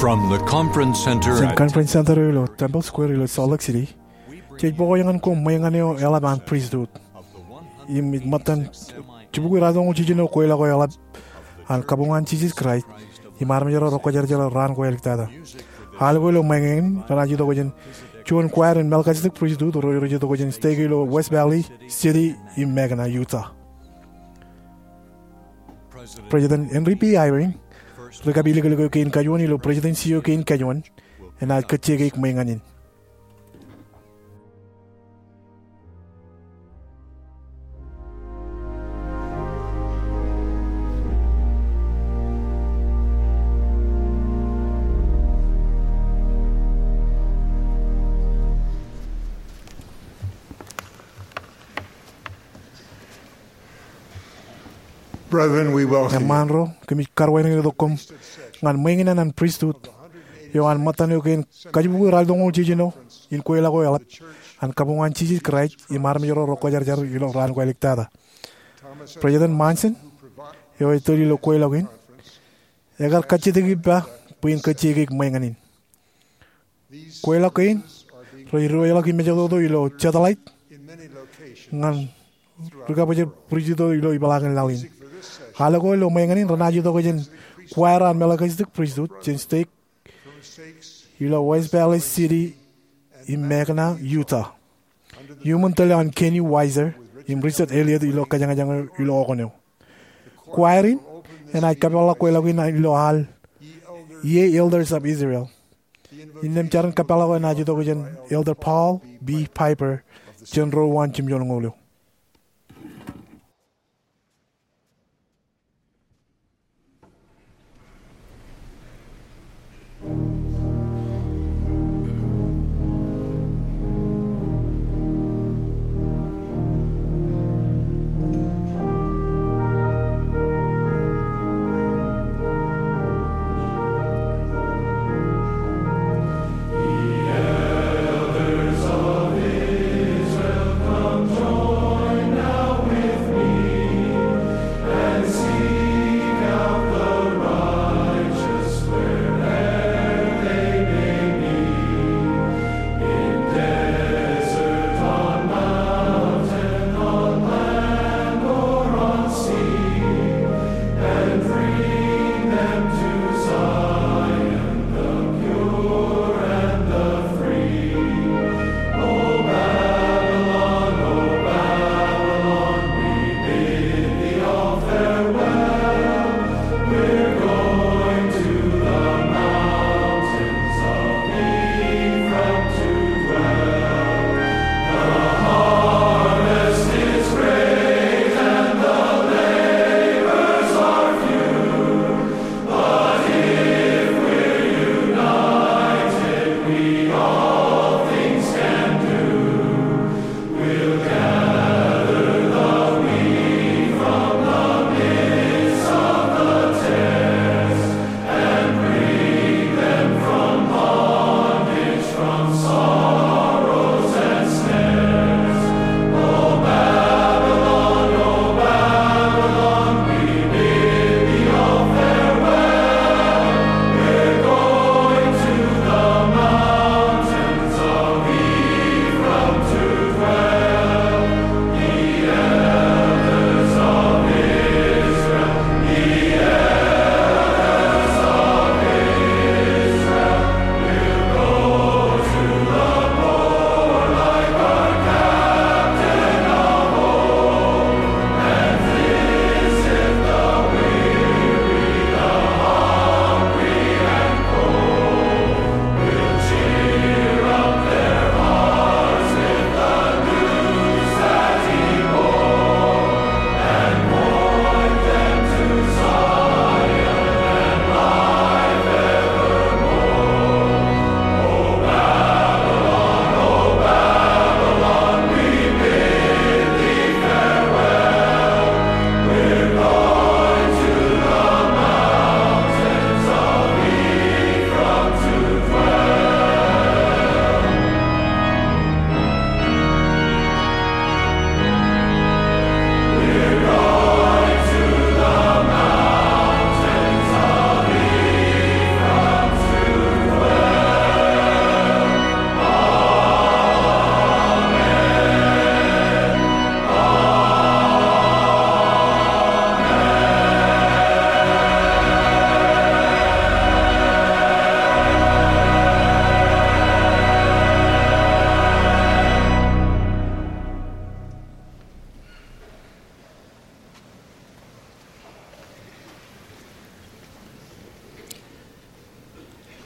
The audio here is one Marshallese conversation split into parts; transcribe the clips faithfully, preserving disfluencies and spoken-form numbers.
From the conference center Jān at Conference Center eo ilo Temple Square ilo Salt Lake City, jej bōk ñan koṃ ṃweeññan eo eḷap an pristut. Im ej ṃōttan jibukwi raar toñoul jiljino kweilọk eo eḷap an Kabuñ an Jisōs Kraist im armej ro rej kwōjarjar ilo raan ko āliktata. Al ko ilo ṃweeññan in renaaj itok jān juon choir in Melchizedek Pristut ro rej itok jān stake eo ilo West Valley City im Magna, Utah. President Henry B. Eyring, ri-kapilōklōk eo kein kajuon ilo Presidency eo kein kajuon, enaaj kajjiekeik ṃweeññan in. Brethren, we welcome you. Eṃṃaan ro, kōmij karuwainene tok koṃ ñan ṃweeññan an pristut eo an ṃōttan eo kein kajibukwi raar toñoul jiljino in kweilọk eo eḷap an Kabuñ an Jisōs Kraist im armej ro rej kwōjarjar ilo raan ko āliktata. President Monson, eo ej tōl ilo kweilọk in, ekar kajjitōk ippa bwe in kajjiekeik ṃweeññan in. Kweilọk kein rej diwōjḷọk im ejatoto ilo satellite ñan rikabōjrak pristut ilo ipeḷaakin laḷ in. Al ko ilo ṃweeññan in renaaj itok jān choir an Melchizedek Pristut jān stake ilo West Valley City im Magna, Utah, iuṃwin tōl eo an Kenny Weiser im Richard Elliott ilo kōjañjañ eo ilo okōn eo. Choir in enaaj kapeḷḷọk kweilọk in ilo al E A Elders of Israel. Innām jar in kapeḷḷọk eo enaaj itok jān Elder Paul B. Piper jān ro uwaan jimjuonñoul eo.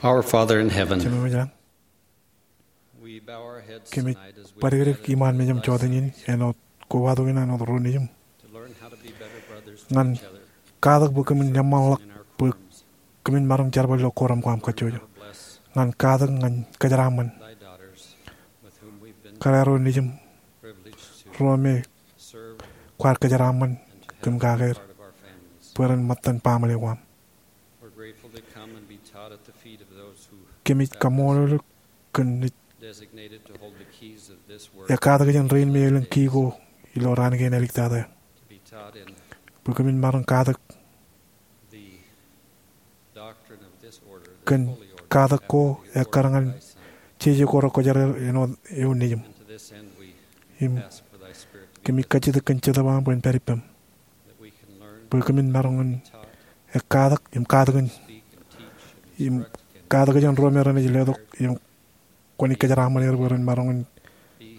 Our Father in heaven, Jemem eo ej lañ, we bow our heads kōmij tonight as we badikdik gather iṃaan in mejaṃ this jota in āinwōt kobatok in āinwōt ro nejūṃ. To learn how to be better brothers to each other. Ñan katak bwe kōmin eṃṃanḷọk bwe kōmin maroñ jerbal ilo koram ko aṃ kajjojo. Bless Ñan katak ñan kōjeraaṃṃan thy daughters with whom we've been kōrā ro nejūṃ, privileged to ro me serve kwaar kōjeraaṃṃan and to have kōm them be kake er, part of our families. Bwe ren ṃōttan baaṃle ko aṃ. We're grateful to come and be taught at the feet of those who Kōmij kaṃṃoolol eok kōn naaj designated to hold the keys of this work. Ekkatak jān rein me elōñ kii ko ilo raan kein āliktata. To be taught in Bwe kōmin maroñ katak the doctrine of this order, the kōn holy order, katak ko ekkar ñan jeje ko rekwōjarjar āinwōt eoon nejūṃ. And to this end we Im ask for thy spirit to be kōmij kajjitōk kōn Jetōb eo aṃ bwe en pād ippaṃ. Bwe kōmin maroñ in ekkatak im katakin im katakin ro me renaaj letok im kwōnaaj kōjeraaṃṃan er bwe ren maroñ in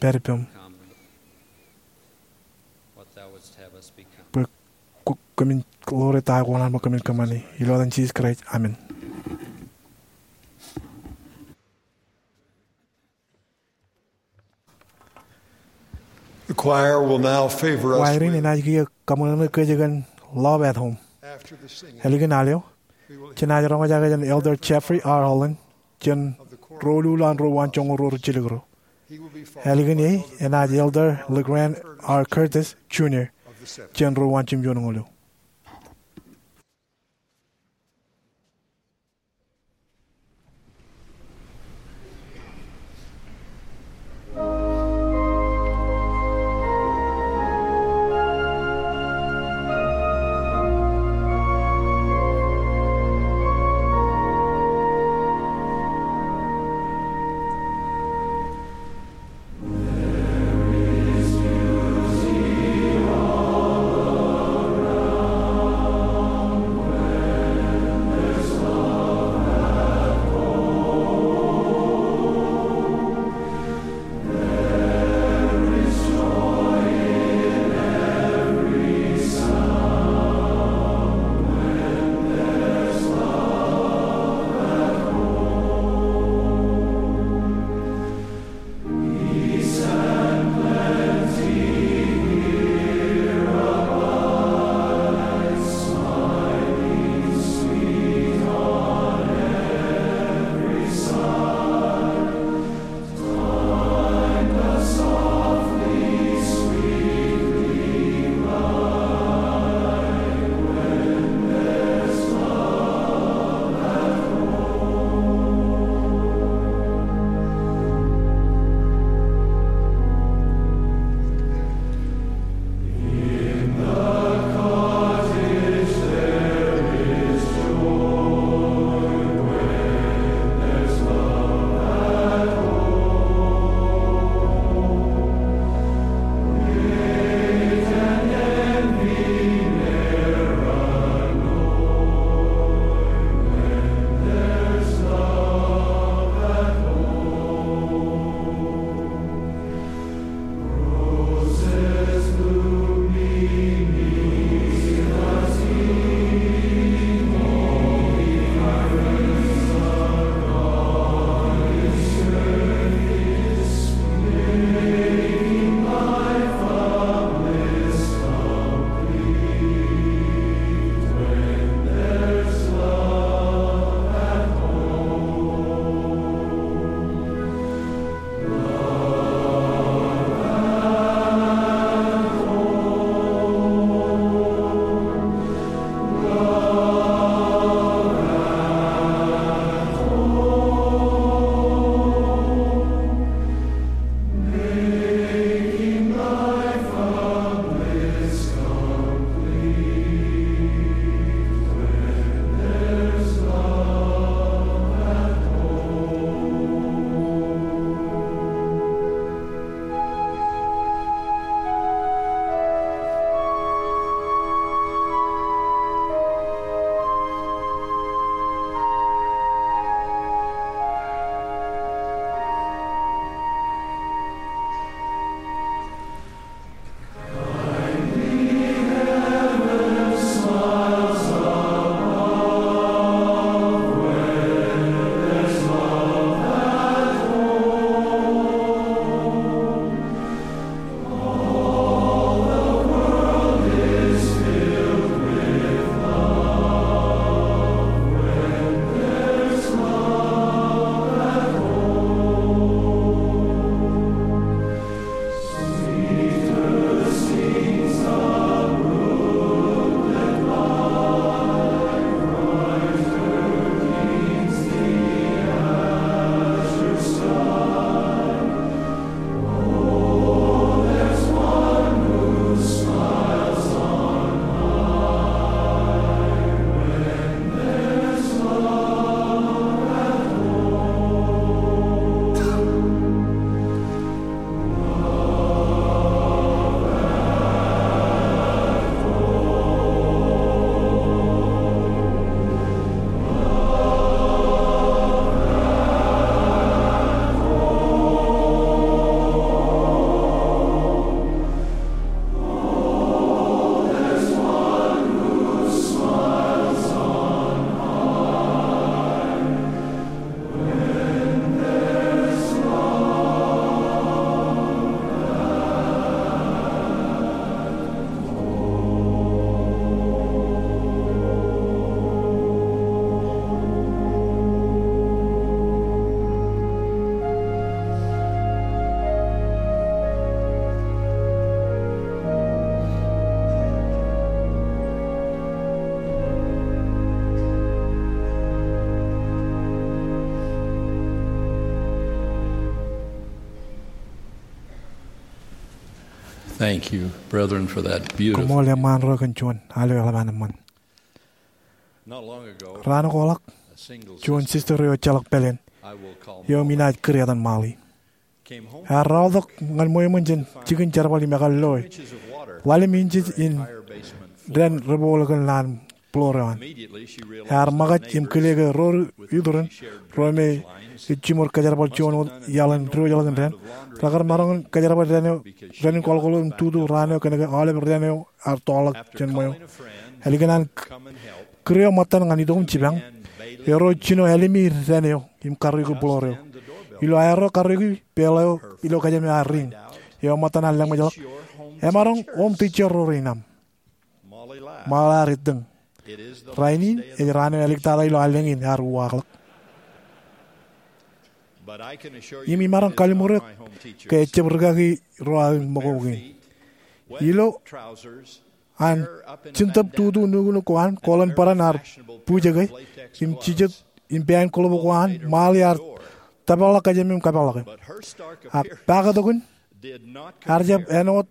pād ippaṃ. Bwe kōmin ḷoore ta ko an bwe kōmin kōṃṃani. Ilo etan Jisōs Kraist, amen. The choir will now favor us Kwairin enaaj kiiō kaṃōṇōṇō kōj kōn Love at Home. After the singing, Ālikin al eo, we will hear jenaaj roñjake jān Elder Jeffrey R. Holland, jān Ro Lulọ an Ro Waanjoñoul Ro Rijjilōk Ro. He will be followed Ālikin by e, Elder enaaj Elder LeGrand R. Curtis Junior, of the seventh. Jān Ro Waanjimjuon Ñoul Eo. Thank you, brethren, for that beautiful. Koṃṃool eṃṃaan ro kōn juon aloeḷap an eṃṃan. Not long ago, raan ko ḷọk, a single juon sister, sister eo ejjeḷọk pāleen, I will call eo im Molly, inaaj kūr etan Molly, came home, ear raotok ñan ṃweo eṃṃan jān jikin jerbal im ekar loe, inches of water, ḷalem inches in, fire basement floor, dān rebooḷ kōn lowaan floor eo an. Immediately, she realized, ear ṃōkaj im kile ke ro iturin, ro me ej jiṃor kōjerbal juon wōt iaḷ in diwōjḷọk in dān, rekar maroñ in kōjerbal dān eo, dān in kwaḷkwaḷ im tutu raan eo kōnke aolep dān eo ear toḷọk jān ṃweo. Ālikin an kūr eo ṃōttan ñan itok im jipañ, erro jino ālimi dān eo im karreoiki floor eo. Ilo aerro karreoiki, bell eo ilo kōjām eo ear ring. Eo ṃōttan ear lōṃōjḷọk, "Emaroñ oṃ teacher ro rein aṃ." Molly ear ettōñ. Rainin ej raan eo āliktata ilo allōñ in ear uwaakḷọk. Im imaroñ kalliṃur eok ke ejjab rikaki ro aō ṃōko kein. Ilo an jintōb tutu nuknuk ko an, koḷan bōran ear bujeke, im jijet im pāān glove ko an, Molly ear tōpar ḷọk kōjām eo im kapeḷḷọke. Ak paktok in ear jab āinwōt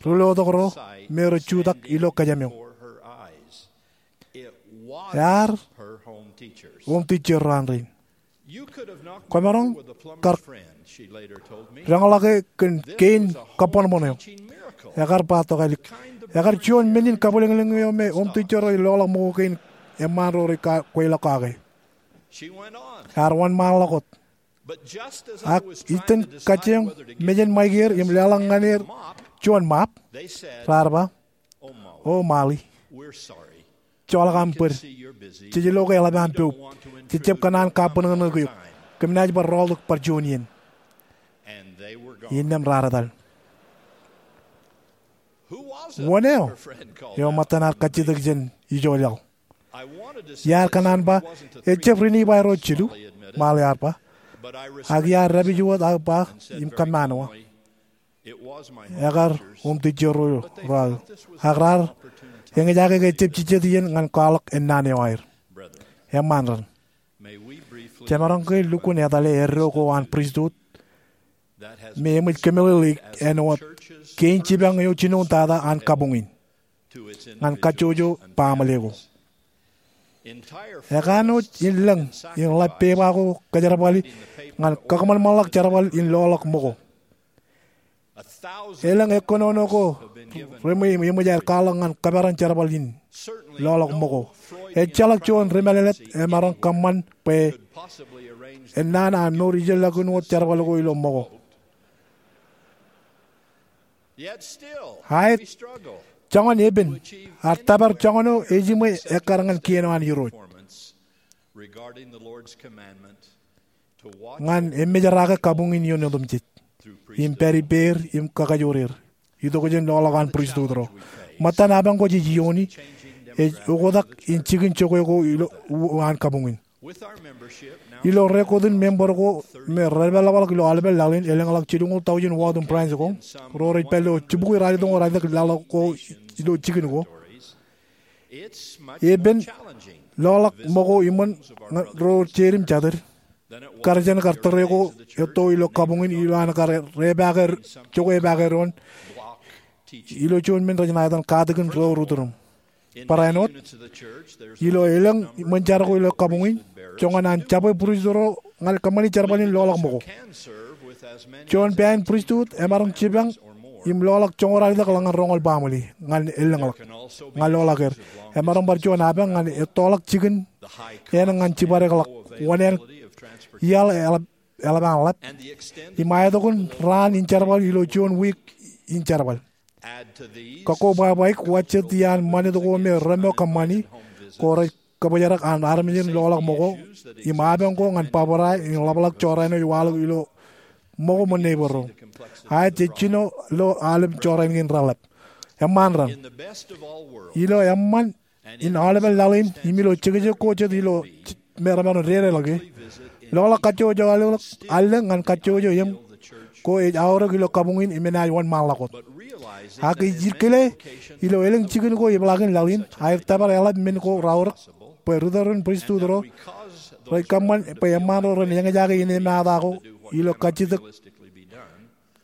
ri-lotok ro me rej jutak ilo kōjām eo. Ear oṃ teacher ro an rein. Kwōmaroñ kar deñḷọke kōn kein kabbōnbōn eo. Ekar ba tokālik, ekar juon men in kabwilōñlōñ eo me oṃ teacher ro rej loḷọk ṃōko kein eṃṃaan ro rej kweilọk kake. Ear wōnṃaanḷọk wōt. Ak ijjān kajjioñ mejān ṃaik er im leḷọk ñan er juon mop, raar ba, "O Molly, joḷọk aṃ bōd. Jej lo ke eḷap aṃ poub. Jej jab kōṇaan kabwilōñlōñ eok. Kōm naaj bar rọọltok bar juon iien." Innām raar etal. "Wōn eo?" eo ṃōttan ear kajjitōk jān ijo laḷ. Iar kōṇaan ba, "Ejjab Rinibwai ro jilu," Molly ear ba. Ak iar dāpij wōt aō ba im kōmmaanwa, "Ekar oṃ teacher ro, ro aō. Ak raar eñjake ke ejjab jijet iien ñan kwaḷọk ennaan eo aer." Eṃṃaan raṇ, jemaroñ ke lukkuun etale eddo ko an pristut me eṃōj kōmeḷeḷeik āinwōt kein jipañ eo jinoin tata an kabuñ in ñan kajjojo baaṃle ko. Ekanooj in lōñ in ḷap pepa ko kōjerbali ñan kakōṃanṃanḷọk jerbal in loḷọk ṃōko. Elōñ ekkōnono ko reṃwei im eṃōj aer kwaḷọk ñan kōperan jerbal in loḷọk ṃōko. Ejjeḷọk juon ri-mālōtlōt emaroñ kōṃṃan bwe ennaan an mour ijellọkin wōt jerbal ko ilo ṃōko. Aet, joñan epen, ear tōpar joñan eo ejiṃwe ekkar ñan kien eo an Irooj ñan emejerake kabuñ in ioon otemjej im pād ippāer im kakajoor er itok jān loḷọk an pristut ro. Ṃōttan apañ ko jej iioni ej oktak in jikin jokwe ko ilo, an kabuñ in. Ilo rekotin member ko me redepḷọk ilo aolepān laḷ in, elōñḷọk jilñuul tọujin wōt im branch ko, ro rej pād ilo jibukwi ralitōñoul ralitōk laḷ ko ilo jikin ko. Epen loḷọk ṃōko iṃōn ro jeid im jatid kar jān kar tōre ko etto ilo kabuñ in ilo an kar jokwe epaake doon ilo juon men rej ṇa etan katakin ro ri-tūrūṃ. Barāinwōt, ilo elōñ ṃōn jar ko ilo kabuñ in, joñan an jabwe pristut ro ñan kōṃṃani jerbal in loḷọk ṃōko. Juon pāān pristut emaroñ jipañ im loḷọk joñoul ralitōk ḷọk ñan roñoul baaṃle ñan elōñḷọk, ñan loḷọk er. Emaroñ bar juon apañ ñan ettoḷọk jikin āne ñan jibadekḷọk wōṇāān iaḷ eḷap, eḷap an ḷap, im aetok in raan in jerbal ilo juon wiik in jerbal. Kakkobwābwaik wōt jet iaan ṃanit ko me remo kōṃṃani ko rej kōbōjrak an armej in loḷọk ṃōko im apañ ko ñan bōbrae in ḷapḷọk jorrāān eo ej waḷọk ilo ṃōko ṃōn neighbor ro. Aet, jej jino lo aolep jorrāān kein reḷap. Eṃṃaan raṇ, ilo eṃṃan in aolepān laḷ in im ilo jekjek ko jet ilo me remaroñ dedeḷọke, loḷọk kajjojo allōñ ñan kajjojo eṃ ko ej aorōk ilo kabuñ in im enaaj wōnṃaanḷọk wōt. Ak ij kile ilo elōñ jikin ko ipḷaakin laḷ in aer tōpar eḷap men ko raorōk bwe ri-tōl in pristut ro rej kōṃṃan bwe eṃṃaan ro ren eñjake innemata ko ilo kajjitōk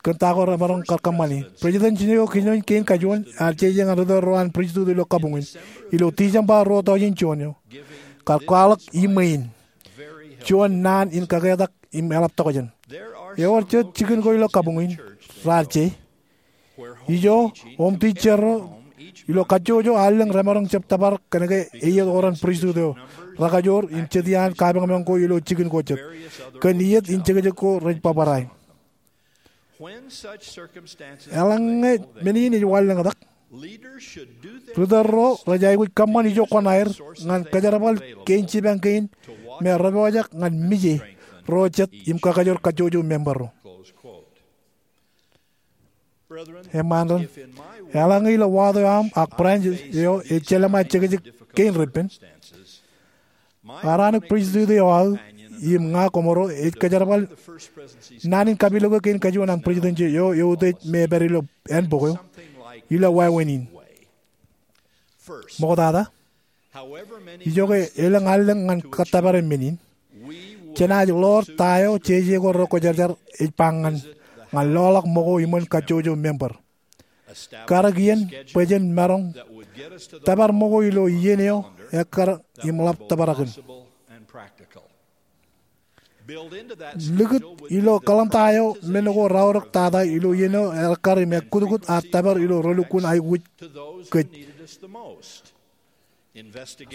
kōn ta ko remaroñ kar kōṃṃani. President Junichiro Kininoin kein kajuon ear jeje ñan ritōl ro an pristut ilo kabuñ in ilo Tijeṃba ruo tọujin juon eo, kar kwaḷọk iṃwe in juon naan in kaketak im eḷap tokjān. Ewōr jet jikin ko ilo kabuñ in raar je ijo oṃ tijjerro ilo kajjojo allōñ remaroñ jab tōpar kōnke eiiet oran pristut eo rekajoor im jet iaan kapañpañ ko ilo jikin ko jet kōn iiet in jekjek ko rej bōbrae. Eḷaññe men in ej wanlōñtak, ritōl ro rej aikuj kōṃṃan ijo kuṇaer ñan kōjerbal kein jipañ kein me repojak ñan mije ro jet im kakajoor kajjojo member ro. Eṃṃan, eḷaññe ilo wato eo aṃ ak branch eo ej jelṃae jekjek kein repen, aō an pristut eo aō im ña koṃro ej kōjerbal naan in kapilōk eo kein kajuon an pristut eo eutiej me ej pād ilo ānbōk eo ilo wāween in. Ṃoktata, ijoke elōñ allōñ ñan kōttōpare men in, jenaaj ḷoor ta eo jeje ko rekwōjarjar ej ba ñan, ñan loḷọk ṃōko iṃōn kajjojo member, karōk iien bwe jen maroñ tōpar ṃōko ilo iien eo ekkar im ḷap tōprak in. Likūt ilo kōḷmānta eo men ko reaorōk tata ilo iien eo ekkar im ekkutkut ad tōpar ilo relukkuun aikuj kōj.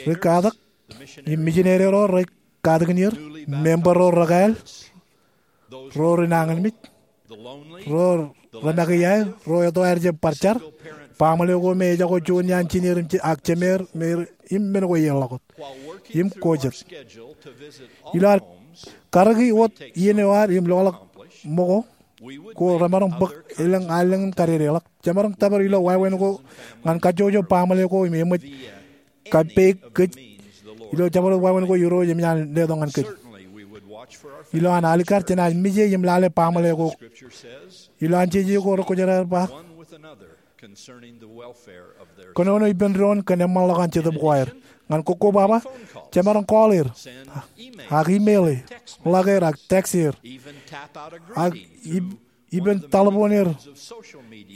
Ri katak im mijinede ro rej katakin er, member ro rekāāl, ro ri nañinmej, ro remake iaer, ro etto aer jab bar jar, baaṃle ko me ejako juon iaan jineer im je- ak jemeer im men ko eḷap wōt im ko jet. Ilo ad karōki wōt iien eo ad im loḷọk ṃōko ko remaroñ bōk elōñ allōñ in kadedeḷọk, jemaroñ tōpar ilo wāween ko ñan kajjojo baaṃle ko im eṃōj kapeik kōj ilo jabdewōt wāween ko Irooj eṃōj an letok ñan kōj. Ilo an alikkar jenaaj mije im lale baaṃle ko. Ilo an jeje ko rekwōjarjar ej ba, kōnono ippān doon kōn eṃṃanḷọk an jetōb ko aer. Ñan kokkobaba, jemaroñ call er, ak email e, ḷak er ak text er, ak ib- ippān taḷboon er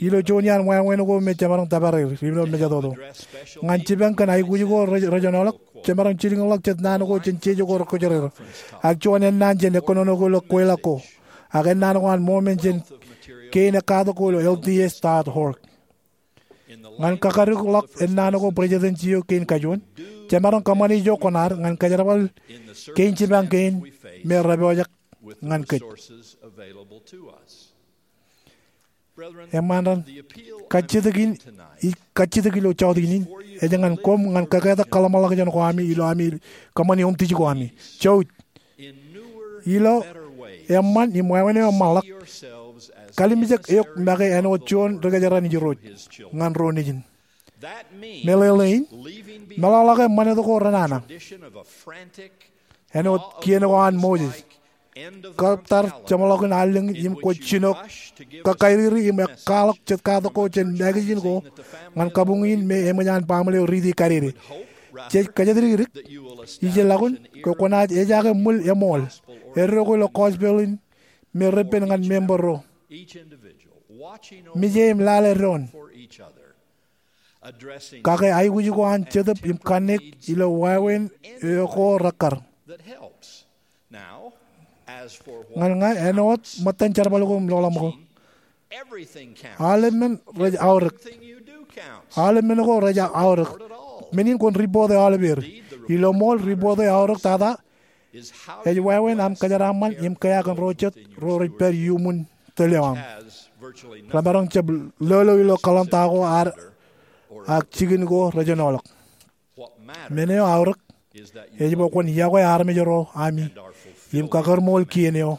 ilo juon iaan wāween ko me jemaroñ tōpar er ilo mejatoto. Ñan jipañ kōn aikuj ko rej- rejenoḷọk, jemaroñ jilkinḷọk jet naan ko jān jeje ko rekwōjarjar, ak juon ennaan jān ekkōnono ko ilo kweilọk ko, ak ennaan ko an ṃomen jān kein ekkatak ko ilo L D S dot org. Ñan kakadikḷọk ennaan ko Presidensi eo kein kajuon, jemaroñ kōṃṃani ijo kuṇaad ñan kōjerbal kein jipañ kein me repojak ñan kōj. Eṃṃan, kajjitōk in, ij kajjitōk ilo jọteen in, ej ñan koṃ ñan kaketak kōḷmānḷọkjeṇ ko ami ilo ami kōṃṃani oṃ tij ko ami. Jouj, ilo eṃṃan im wāween eo eṃṃanḷọk, kalimjek eok make āinwōt juon ri kōjeraṇ Irooj ñan ro nejin. Meḷeḷein, meḷọkḷọke ṃanit ko renana āinwōt kien ko an Moses, kōttar jeṃḷọkin allōñ in im kwōj jino kakairiri im ekkaḷọk jet katak ko jān magazine ko ñan kabuñ in me eṃōj an baaṃle eo riiti kadede. Jej kōjatdikdik, ij lukkuun ke kwōnaaj ejaake ṃwil eṃool eddo ko ilo gospel in me repen ñan member ro. Mije im lale doon. Kake aikuj ko an jetōb im kanniōk ilo wāween eo ko rekkar. Ñan ña āinwōt ṃōttan jerbal ko im loḷọk ṃōko, aolep men rej aorōk. Aolep men ko rej aorōk. Men in kwōn report e aolepeer. Ilo ṃool, report eo eaorōk tata ej wāween aṃ kōjeraaṃṃan im kea kōn ro jet ro rej pād iuṃwin tōl eo aṃ. Remaroñ jab lolo ilo kōḷmānta ko ad ak jikin ko rejenoḷọk. Men eo eaorōk ej bwe kwōn yokwe armej ro ami im kakōrṃool kien eo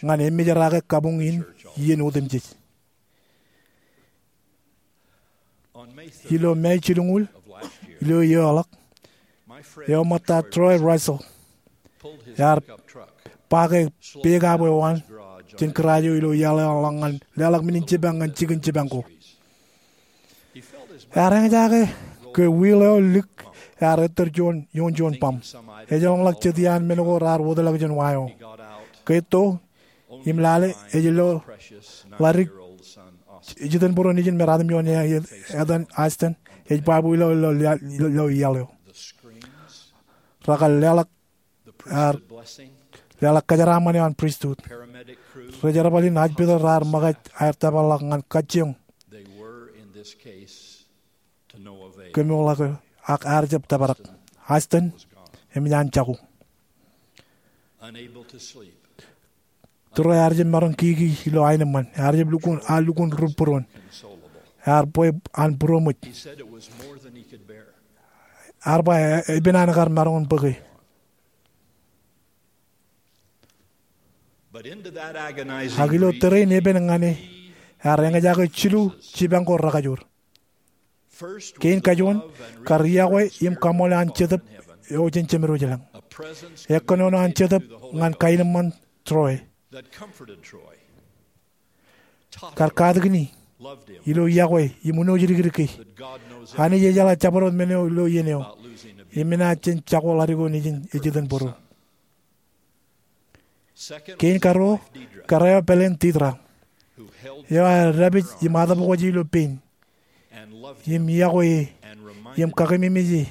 ñan emejerake kabuñ in iien otemjej. Ilo May jilñuul ilo eoḷọk, eo ṃōtta Troy Russell ear pake pickup eo an jān garage eo ilo iaḷ eo an ḷọk ñan leḷọk men in jipañ ñan jikin jipañ ko. Ear eñjake ke wheel eo lik ear ettōr ioon juon bōṃ. Ejjeḷọk jet iaan men ko raar wōtlọk jān wa eo. Ke etto, Im lale ej lo ḷadik ijitōnbōro nejin me ratimjuon etan Austen ej baabu ilo, ilo iaḷ eo. Rekar leḷọk, ar leḷọk kōjeraaṃṃan eo an pristut. Ri-jerbal in hospital raar ṃōkaj aer tōparḷọk ñan kajjioñ kemourḷọk, ak ear jab tōprak. Austen eṃōj an jako. Tūreo ear jab maroñ kiki ilo aenōṃṃan. Ear jab lukkuun, ear lukkuun rūpbūruon. Ear bwe an būroṃōj. Ear ba epen an kar maroñ in bōke. Ak ilo tōre in epen ñan e, ear eñjake jilu jipañ ko rekajoor. Kein kajuon, kar iọkwe im kaṃṃoolol an Jetōb eo jān Jemedwōj ilañ. Ekkōnono an Jetōb ñan kaenōṃṃan Troy. Kar katakin e ilo iọkwe im unooj dikdik e. Anij ejeḷā jabdewōt men eo ilo iien eo im enaaj jen jako ḷadik eo nejin ej jitōnbōro. Kein karuo, kar eo pāleen Deedra, eo ear dāpij im atōpkwōje ilo pein, im iọkwe e, im kakememej e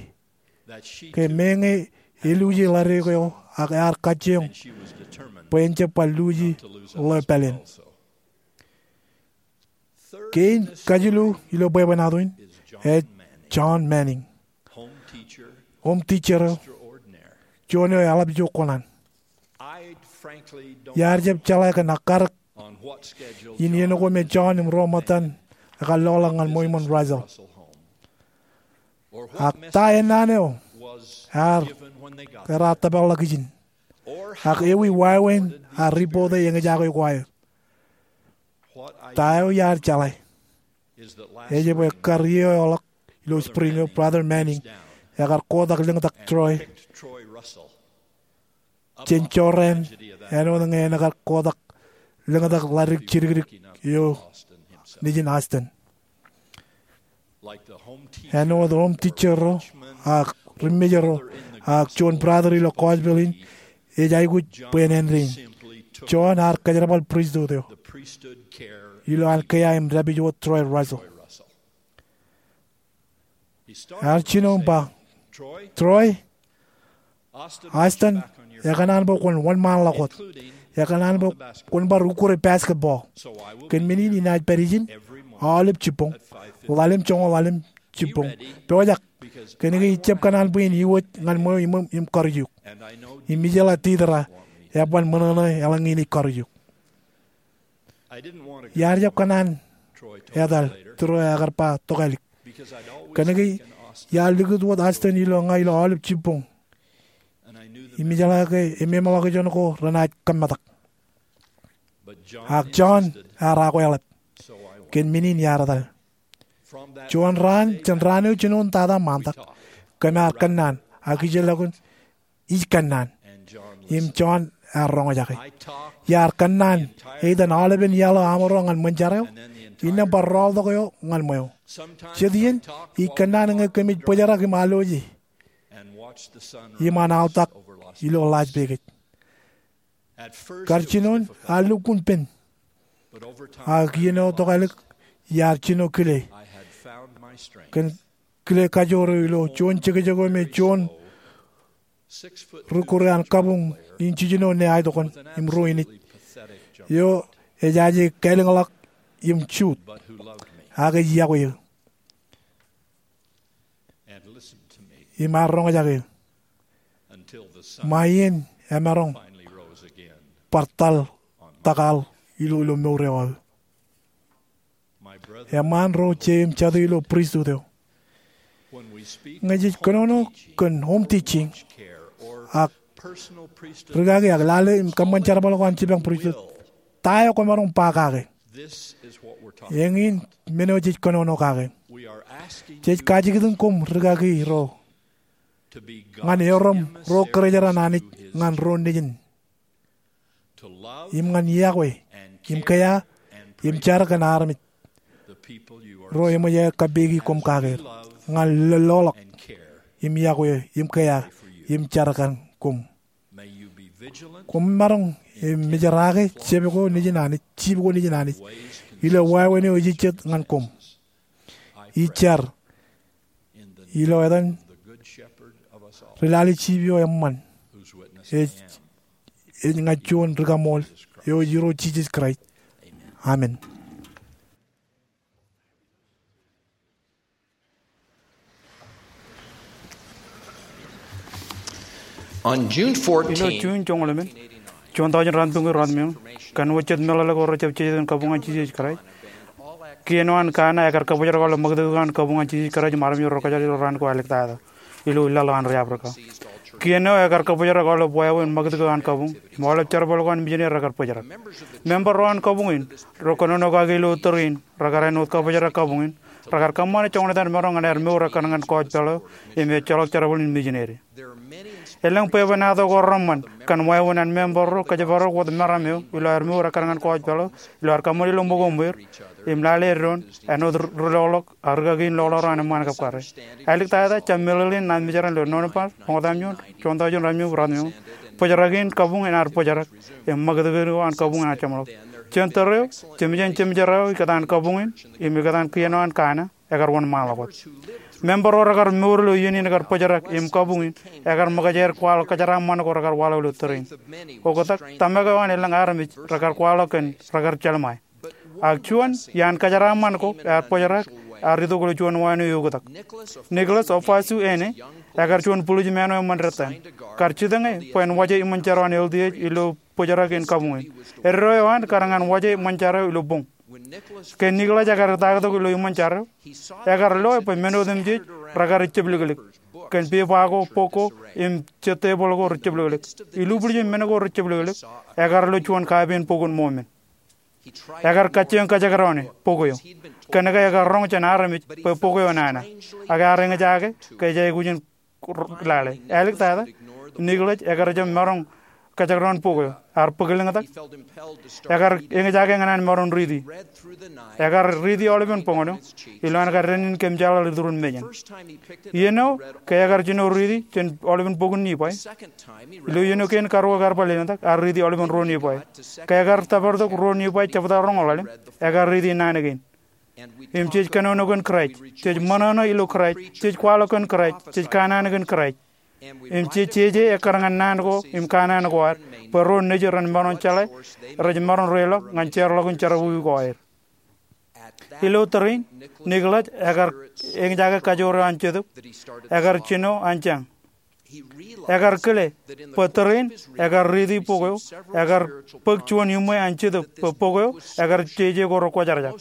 ke meñe eluje ḷadik eo ak ear kajjioñ bwe en jab bar luje ḷeo pāleen. Kein kajilu ilo bwebwenato in ej John Manning, home teacher eo, juon eo eḷap ijo kōṇaan. Iar jab jeḷā kōn akkatak in iien ko me John im ro ṃōttan ekar loḷọk ñan ṃweo iṃōn Russell, ak ta ennaan eo ear, ear tōparḷọk ijin, ak ewi wāween an ripoot eo eñjake ko aer. Ta eo iar jeḷā ej bwe kar iiō eo ḷọk ilo spring eo, Brother Manning ekar kotak lōñtak Troy jān jorrāān āinwōt ñe en kar kotak lōñtak ḷadik jidikdik eo nejin Austen. Āinwōt home teacher ro ak ri-mejāer ro ak juon brother ilo gospel in ej aikuj bwe en āindein, John ear kōjerbal pristut eo ilo an kea im dāpij wōt Troy Russell. Ear jino im ba, Troy, Austen ekōṇaan bwe kwōn wōnṃaanḷọk wōt. Ekōṇaan bwe kwōn bar ukkure basketball. Kōn men in inaaj pād ijin aolep jibboñ, ḷalem joñoul ḷalem jibboñ. Pojak, kōnke ij jab kōṇaan bwe in iwōj ñan ṃweo iṃōṃ im karuj eok. Im ijeḷā Deedra eban ṃōṇōṇō eḷaññe inaaj karuj eok. Iar jab kōṇaan etal, Tūreo ekar ba, tokālik. Kōnke iar likūt wōt Austen ilo ña ilo aolep jibboñ im ijeḷā ke emeṃḷọkjeṇ ko renaaj kōmmetak. Ak John ear akweḷap. Kōn men in iar etal. Juon raan, jān raan eo jinoin tata ṃaantak, kōm ar kōnnaan, ak ijellọkun ij kōnnaan. Im John ear roñjake. Iar kōnnaan eitan aolepen iaḷ eo amro ñan ṃōn jar eo, innām bar rọọltok eo ñan ṃweo. Jet iien ij kōnnaan ñe kōmij bōjrak im alwōje im an aortak ilo Las Vegas. Kar jinoin ear lukkuun pen, ak iien eo tokālik iar jino kile, kōn kile kajoor eo ilo juon jekjek eo me juon rūkkuun an kabuñ in jiljino ne aetokan im ruo inij eo ejaje kālōñḷọk im juut, ak ej iọkwe eō im ear roñjake eō ṃae iien emaroñ bar tal tōkal ilo, ilo mour eo aō. Eṃṃaan ro je im jatū ilo pristut eo, ñe jej kōnono kōn home teaching ak rūkaki ak lale im kōṃṃan jerbal ko an jipañ pristut, ta eo kwōmaroñ ba kake? Eñin men eo jej kōnono kake. Jej kajikitik koṃ rūkaki ro ñan erom ro kōrejeraṇ Anij ñan ro nejin, im ñan iọkwe im kea im jar kōn armej ro eṃōj aer kappeki koṃ kake er, ñan loḷọk im iọkwe im kea im jar kōn koṃ. Koṃ maroñ im mejeraake jab ko nejin Anij, jib ko nejin Anij, ilo wāween eo ej jet ñan koṃ. Ij jar ilo etan ri lale jib eo eṃṃan, ej, ej ña juon ri kaṃool eo ej Irooj Jisōs Kraist. Amen. Ilo June joñoul emān, juon taujin ruatimjuonñoul ruatimjuonñoul, kōn wōt jet meḷeḷe ko rejjab jeje kōn kabuñ an Jisōs Kraist, kien eo an Kana ekar kabōjrak aolep ṃakūtkūt eo an kabuñ an Jisōs Kraist im armej ro rekajjitōk ilo raan ko āliktata ilo laḷ eo an ri Africa. Kien eo ekar kabōjrak aolep wāween ṃakūtkūt eo an kabuñ im aolep jerbal ko an mijineri rekar bōjrak. Member ro an kabuñ in ro kōnono kaki ilo tōre in rekar āinwōt kabōjrak kabuñ in, rekar kōṃṃane joñan etan maroñ ñan aer mour ekkar ñan kọọj peḷ eo im ejjeḷọk jerbal in mijineri. Elōñ bwebwenato ko reṃṃan kōn wāween an member ro kōjparok wōt meram eo ilo aer mour ekkar ñan kọọj peḷ eo ilo aer kōṃṃan ilo ṃōko im wōr im lale eddoin āinwōt ri-, riloḷọk ak rūkaki in loḷọk ro an eṃṃaan kab karre. Āliktata jab meḷeḷein naaj mejeraṃ ilo Nōṃba ḷọk etaṃ juon, juon taujin ruatimjuonñoul ruatimjuonñoul, bōjrak in kabuñ in ear bōjrak im ṃakūtkūt eo an kabuñ in ear jeṃḷọk. Jān tōre eo, jemjen jemjerā eo ikōtaan kabuñ in im ikōtaan kien eo an Kana ekar wōnṃaanḷọk wōt. Member ro rekar mour ilo iien in ekar bōjrak im kabuñ in ekar ṃōkaj aer kwaḷọk kōjeraaṃṃan ko rekar waḷọk ilo tōre in. Oktak, tōmak eo an elōñ armej rekar kwaḷọk kōn rekar jelṃae. Ak juon iaan kōjeraaṃṃan ko ear bōjrak, ear itok ilo juon wāween eo eoktak. Nicholas Ofosu Ene, ekar juon bulijmāān eo eṃṃan dettan, kar jitōñe bwe en waje iṃōn jar eo an L D H ilo bōjrak in kabuñ in. Eddo eo an kar ñan waje iṃōn jar eo ilo boñ. Ke Nicholas ekar itaaktok ilo iṃōn jar eo, ekar loe bwe men otemjej rekar ejjepliklik. Kōn peba ko, bok ko, im jet tebōḷ ko rejepliklik. Ilubwiljin men ko rejepliklik, ekar lo juon kapen Bok in Mōmen. Ekar kajjioñ kajekdọọn bok eo. Kōnke ekar roñ jān armej bwe bok eo nana. Ak ear eñjake ke ej aikuj in lale. Āliktata, Nicholas ekar jab maroñ kajekdọọn bok eo. Ear bōk lōñtak. Ekar eñjake ñan an maroñ riiti. Ekar riiti aolepen boñōn eo ilo an kar dānnin kōmjeḷāḷ iturin mejān. Iien eo ke ekar jino riiti jān aolepen bok in Nifai. Ilo iien eo kein karuo ke ear bar lelōñtak, ear riiti aolepen ruo Nifai. Ke ekar tōpartok ruo Nifai jebta roñoul ḷalem, ekar riiti naan kein. Im jej kōnono kōn Kraist, jej ṃōṇōṇō ilo Kraist, jej kwaḷọk kōn Kraist, jej kanaan kōn Kraist. Im jej jeje ekkar ñan naan ko im kanaan ko ad, bwe ro nejid ren maroñ jeḷā, rej maroñ reiḷọk ñan jeorḷọkin jerọwiwi ko aer. Ilo tōre in, Nicholas ekar eñjake kajoor eo an Jetōb, ekar jino an jañ. Ekar kile bwe tōre in ekar riiti bok eo, ekar bōk juon iṃwe an Jetōb bwe bok eo ekar jeje ko rekwōjarjar.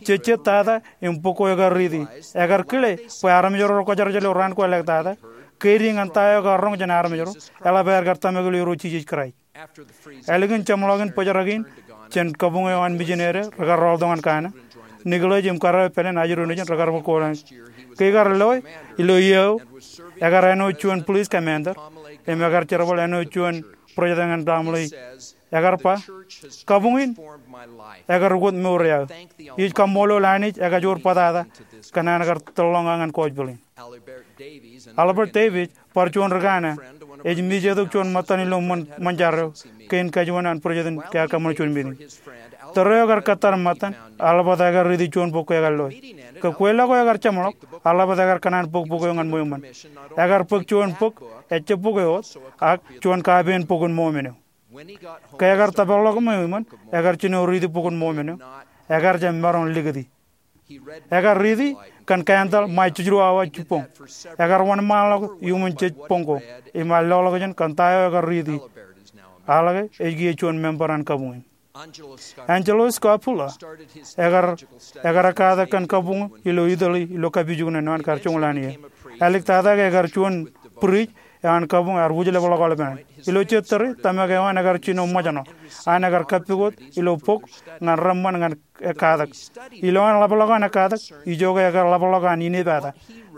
Jejjet tata im bok ko ekar riiti, ekar kile bwe armej ro rekwōjarjar ilo raan ko āliktata, keidi ñan ta eo ekar roñ jān armej ro, eḷap aer kar tōmak ilo Irooj Jisōs Kraist. Ālikin jeṃḷọkin bōjrak in jān kabuñ eo an mijineri rekar rọọltok ñan Kana, Nicholas im kōrā eo Pālen ajri nejin rekar bōk kōtaan. Ke ikar loe, ilo iiō eo, ekar āinwōt juon police commander, im ekar jerbal āinwōt juon bōjrak ñan baaṃle. Ekar ba, kabuñ in ekar ukōt mour eo aō. Ij kaṃṃoolol Anij ekajoor bōtata kōn an kar tōllọñ aō ñan kọọj peḷ in. Albert Davies bar juon ri-Kana, ej mijetok juon ṃōttan ilo ṃōn, ṃōn jar eo, kein kajuon an bōjrak in ke ear kōṃṃane juon meeting. Tōre eo ekar kōttar ṃōttan, eḷaptata ekar riiti juon bok ke ekar loe. Ke kweilọk eo ekar jeṃḷọk, eḷaptata ekar kōṇaan bōk bok eo ñan ṃweo ṃōn. Ekar bōk juon bok, ejjab bok eo wōt, ak juon kapen Bok in Mōmen eo. Ke ekar tōparḷọk ṃweo ṃōn, ekar jino riiti Bok in Mōmen eo, ekar jab maroñ likūti. Ekar riiti kōn kaantaḷ ṃae jiljino awa jibboñ. Ekar wōnṃaanḷọk iuṃwin jej boñ ko, im ear loḷọkjeṇ kōn ta eo ekar riiti. Aḷ ke ej kiiō juon member an kabuñ in. Angelo Scapula, ekar, ekar ekkatak kōn kabuñ ilo Italy ilo kapijuknen eo an kar joñoul an iiō. Āliktata ke ekar juon priest eo an kabuñ ear wūjlepḷọk aolepen an. Ilo jet tōre, tōmak eo an ekar jino ṃōjṇọ an ekar kappukot ilo bok ñan reṃṃan ñan ekkatak. Ilowaan ḷapḷọk an ekkatak, ijoke ekar ḷapḷọk an inepata.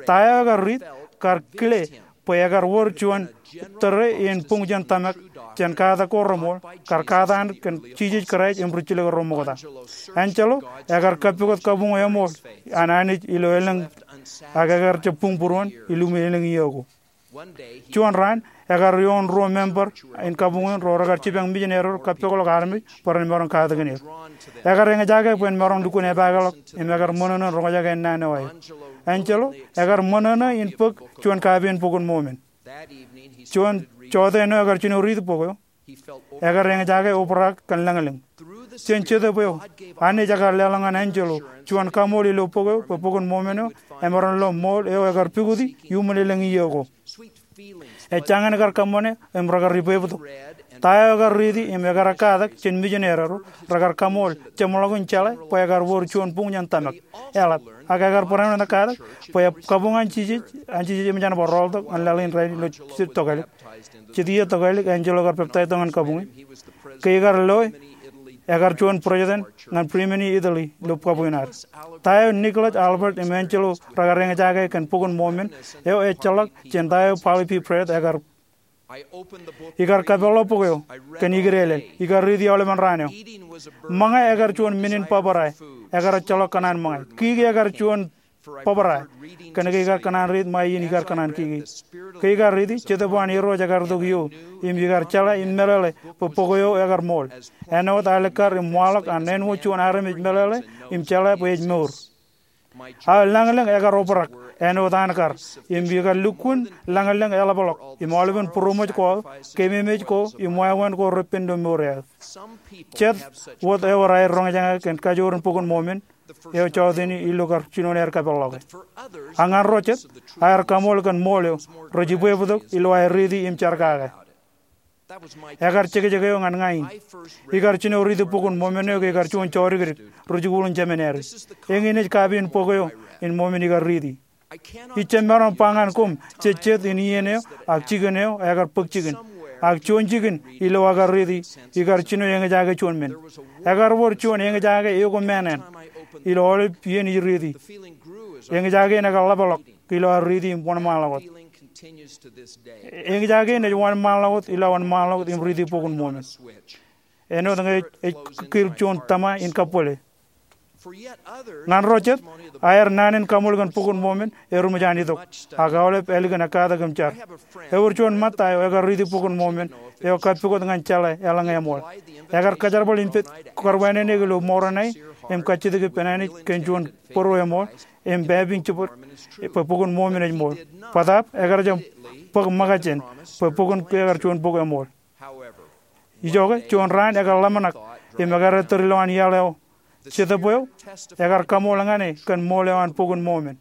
Ta eo ekar riit kar kile bwe ekar wōr juon tōre in buñ jān tōmak, jān katak ko reṃool, kar katakin Jisōs Kraist im rijjilōk ro ṃokta. Angelo ekar kappukot kabuñ eṃool an Anij ilo elōñ, ak ekar jab buñ būruon ilo elōñ iiō ko. Juon raan, ekar ioon ruo member in kabuñ in ro rekar jipañ mijinarro kappokḷọk armej bwe ren maroñ katakin er. Ekar eñjake bwe en maroñ lukkuun epaakḷọk im ekar ṃōṇōṇō in roñjake ennaan eo aer. Angelo ekar ṃōṇōṇō in bōk juon kapiin Bok in Mormon. Juon joteen eo ekar jino riiti bok eo, ekar eñjake obrak kōn lañlōñ. Jān Jetōb eo, Anij ekar leḷọk ñan Angelo juon kaṃool ilo bok eo bwe Bok in Mormon eo emaroñ lo ṃool eo ekar pukoti iuṃwin elōñ iiō ko. Ejjañin kar kōṃṃane im rekar ibwebtok. Ta eo ekar riiti im ekar katak jān mijinarro rekar kaṃool jeṃḷọkin jeḷā bwe ekar wōr juon buñ jān tōmak, eḷap. Ak ekar barāinwōt katak bwe kabuñ an Jisōs, an Jisōs eṃōj an bar rọọltok ñan laḷ in rainin ilo jet tokālik. Jet iiō tokālik Angelo ekar peptaij tok ñan kabuñ in. Ke ikar loe, ekar juon būreejtōn ñan Bremen in Italy ilo kabuñ in ad. Ta eo Nicholas, Albert im Angelo rekar eñjake kōn Bok in Mormon eo ejjeḷọk jān ta eo Parley P. Pratt ekar. Ikar kapeḷḷọk bok eo kōn ikdeelel. Ikar riiti aolepen raan eo. Ṃōñā ekar juon men in bōbrae. Ekar ejjeḷọk kōṇaan ṃōñā. Kiki ekar juon bōbrae. Kōnke ikar kōṇaan riit ṃae iien ikar kōṇaan kiki. Ke ikar riiti, Jetōb eo an Irooj ekar itok iiō im ikar jeḷā im meḷeḷe bwe bok eo ekar ṃool. Āinwōt alikkar im waḷọk an āinwōt juon armej meḷeḷe im jeḷā bwe ej mour. Aō lañlōñ ekar obrak āinwōt an kar, im ikar lukkuun lañlōñ eḷapḷọk im aolepen būroṃōj ko aō, keememej ko im wāween ko repen ilo mour eo aō. Jet wōt ewōr aer roñjake kōn kajoor in Bok in Mormon eo jọteeni ilo kar jinoin aer kapeḷḷọke. Ak ñan ro jet, aer kaṃool kōn ṃool eo rej ibwebtok ilo aer riiti im jar kake. Ekar jekjek eo ñan ña in. Ikar jino riiti Bok in Mormon eo ke ikar juon jodikdik rijikuuḷ in jemān āri. Eñin ej kapiin bok eo in Mormon ikar riiti. Ij jab maroñ ba ñan koṃ jej jet in iien eo ak jikin eo ekar bōk jikin. Ak juon jikin ilo aō kar riiti, ikar jino eñjake juon men. Ekar wōr juon eñjake eo ko māāṇāṇ ilo aolep iien ij riiti. Eñjake in ekar ḷapḷọk ilo aō riiti im wōnṃaanḷọk wōt. Eñjake in ej wōnṃaanḷọk wōt ilo aō wōnṃaanḷọk wōt im riiti Bok in Mormon. Āinwōt ñe ej kiil juon tōma in kabwele. Ñan ro jet, aer naan in kaṃool kōn Bok in Mormon eruṃwij an itok, ak aolep ālikin ekkatak im jar. Ewōr juon ṃōtta eo ekar riiti Bok in Mormon eo kapukot ñan jeḷā eḷaññe eṃool. Ekar kajerbal im pād kōrweenen eō ilo Moroni im kajjitōk ippān Anij kōn juon bōro eṃool im pāpiñ jibwid bwe Bok in Mormon ej ṃool. Bōtaab ekar jab bōk ṃōkajjien bwe bok in ekar juon bok eṃool. Ijoke, juon raan ekar ḷōmṇak im ekar ettōr ilowaan iaḷ eo. Jetōb eo ekar kaṃool ñan e kōn ṃool eo an Bok in Mormon.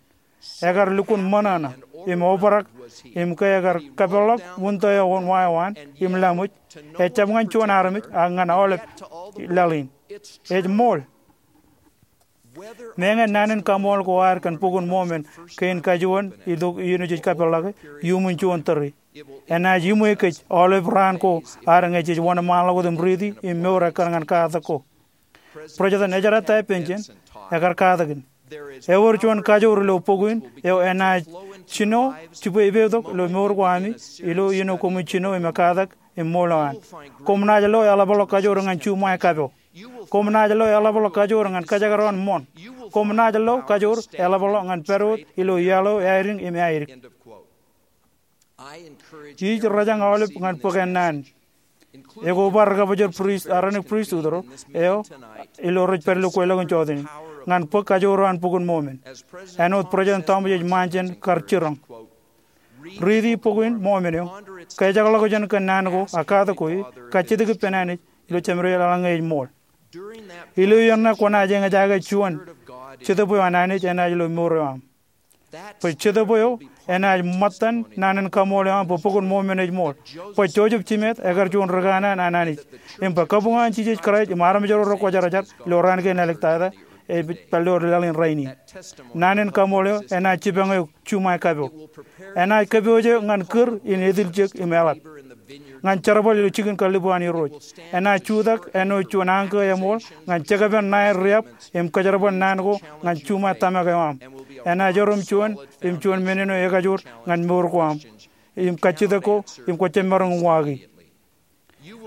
Ekar lukkuun ṃōṇōṇō im obrak im ke ekar kapeḷḷọk wūntō eo wōnṃaanḷọk eo an im laṃōj, ejjab ñan juon armej ak ñan aolep laḷ in. Ej ṃool. Meñe naan in kaṃool ko ad kōn Bok in Mormon kein kajuon itok iien eo jej kapeḷḷọke, iuṃwin juon tōre. Enaaj iṃwe kōj aolep raan ko ad ñe jej wōnṃaanḷọk wōt im riiti im mour ekkar ñan katak ko. President Ezra Taft Benson ekar katakin. Ewōr juon kajoor ilo bok in eo enaaj jino jibwe ippān tok ilo mour ko ami ilo iien eo koṃwin jino im ekkatak im ṃool eo an. Koṃ naaj lo eḷapḷọk kajoor ñan juṃae kapo. Koṃ naaj lo eḷapḷọk kajoor ñan kōjekdọọn ṃoṇ. Koṃ naaj lo kajoor eḷapḷọk ñan pād wōt ilo iaḷ eo aelōñ im aelōñ. Ij rōjañ aolep ñan bōk ennaan, ekobar ri-kabōjor prist, Aaronic Pristut ro eo ilo rej pād ilo kweilọk in jọtenin, ñan bōk kajoor eo an Bok in Mormon. Āinwōt President Thomas H. Monson kar jiroñ. Riiti Bok in Mormon eo, kōjekḷọkjeṇ kōn naan ko ak katak ko, kajjitōk ippān Anij ilo jemād eo eḷaññe ej ṃool. Ilo iien ṇe kwōnaaj eñjake juon Jetōb eo an Anij enaaj ilo mour eo aṃ. Bwe Jetōb eo enaaj ṃōttan naan in kaṃool eo aṃ bwe Bok in Mormon ej ṃool. Bwe Joseph Smith ekar juon rikanaan an Anij. Im bwe kabuñ an Jisōs Kraist im armej ro rekwōjarjar ilo raan kein āliktata ej pād ilo laḷ in rainin. Naan in kaṃool eo enaaj jipañ eok juṃae kapo. Enaaj kōpooje eok ñan kūr in etiljek im eḷap, ñan jerbal ilo jikin kallib eo an Irooj. Enaaj jutak āinwōt juon ankō eṃool ñan jekpen ṇae riab im kōjerbal naan ko ñan juṃae tōmak eo aṃ. Enaaj erom juon im juon men eo ekajoor ñan mour ko aṃ im kajjitōk ko im kwō jab maroñ uwaaki.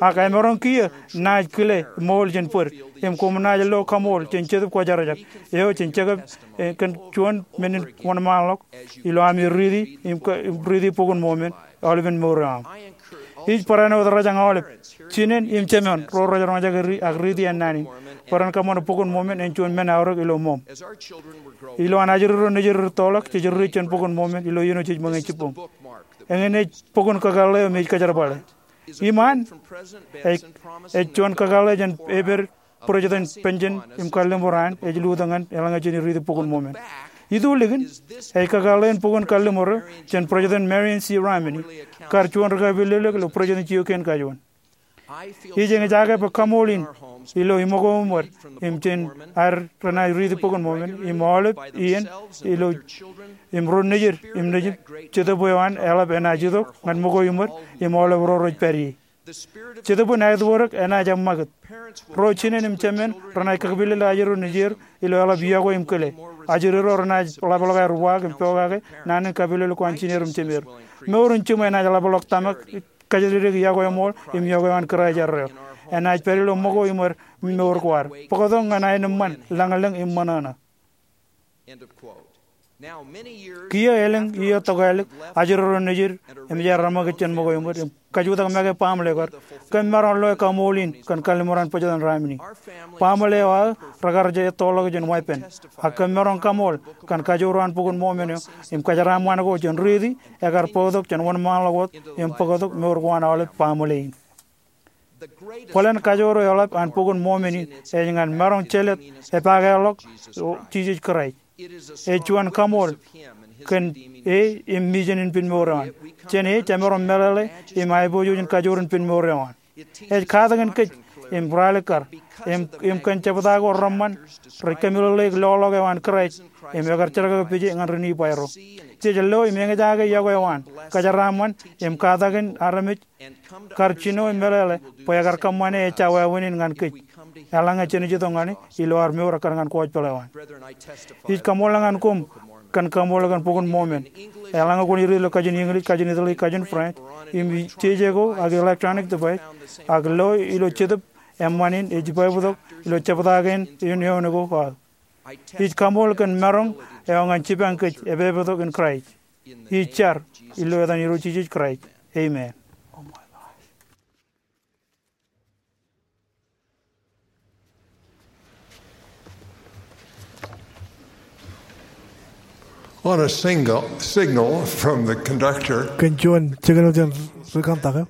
Ak emaroñ kiiō naaj kile ṃool jān bōd, im koṃ naaj lo kaṃool jān Jetōb Kwōjarjar eo jān Jekōb, eh, kōn juon men in wōnṃaanḷọk ilo ami riiti, im ka-, im riiti Bok in Mormon aolepen mour eo aṃ. Ij barāinwōt rej aolep, jinen im jemān ro rej roñjake ri-, ak riiti ennaan in, bwe ren kōṃṃane Bok in Mormon en juon men aorōk ilo moṃ. Ilo an ajri ro nejier rittoḷọk, jej riit jān Bok in Mormon ilo iien eo jej ṃōñā jibboñ. Eñin ej bok in kakōḷḷe eo im ej kōjerbale. Iṃaan, ej, ej juon kakōḷḷe jān eper President Benjamin im kalliṃur an ej lutōk ñan eḷaññe jen riiti Bok in Mormon. Itu likin, ej kakōḷḷe in bok in kalliṃur eo jān President Marion C. Romney, kar juon ri kapilōklōk ilo presidency eo kein kajuon. Ij eñjake bwe kaṃool in ilo iṃōko iṃōd im jān ad renaaj riiti Bok in Mormon im aolep iien ilo im ro nejier im nejūṃ, Jetōb eo an eḷap enaaj itok ñan ṃōko iṃōd im aolep ro rej pād ie. Jetōb in aetwōrōk enaaj eṃṃakūt. Ro jinen im jemān renaaj kakpilel ajri ro nejier ilo eḷap yokwe im kile. Ajri ro renaaj ḷapḷọk aer uwaak im pokake naan in kapilōklōk ko an jineer im jemeer. Mour in jiṃwe enaaj ḷapḷọk tōmak kōjatdikdik yokwe ṃool im yokwe eo an Kraist erreo. Enaaj pād ilo ṃōko iṃōd mour ko ad. Bōktok ñan aenōṃṃan ṃōṇōṇō. Kiiō elōñ iiō tokālik ajri ro nejier eṃōj aer reṃōkaj jān ṃōko iṃōd im kajutak make baaṃle kar, kōm maroñ loe kaṃool in kōn kalliṃur an President Romney. Baaṃle eo aō rekar jab ettoḷọk jān weeppān, ak kōm maroñ kaṃool kōn kajoor eo an Bok in Mormon eo im kōjeraaṃṃan ko jān riiti ekar bōktok jān wōnṃaanḷọk wōt im bōktok mour ko an aolep baaṃle in. Bōlen kajoor eo eḷap an Bok in Mormon in ej ñan maroñ jelōt epakeḷọk Jisōs Kraist. Ej juon kaṃool kōn e im mijen in pen mour eo an. Jān e jemaroñ meḷeḷe im aiboojoj in kajoor in pen mour eo an. Ej katakin kōj im ralitōk kar im, im kōn jebta ko reṃṃan rej kōmeḷeḷeik loḷọk eo an Kraist im ekar jerkakpeje ñan ri Nifai ro. Jej lo im eñjake yokwe eo an, kōjeraaṃṃan im katakin armej kar jino im meḷeḷe bwe ekar kōṃṃane ejja wāween in ñan kōj eḷaññe jen itok ñan e ilo ad mour ekkar ñan gospel eo an. Ij kaṃool ñan koṃ kōn kaṃool kōn Bok in Mormon. Eḷaññe kwōn riit ilo kajin English, kajin Italy, kajin French, im jeje ko ak electronic device, ak lo ilo Jetōb eṃṃan in ej ibaibtok ilo jebta kein in eoon ko aō. Ij kaṃool kōn maroñ eo ñan jipañ kōj epaiptok in Kraist. Ij jar ilo etan Irooj Jisōs Kraist. Amen. On a single, signal from the conductor, kōn juon signal jān ri kōntak eo,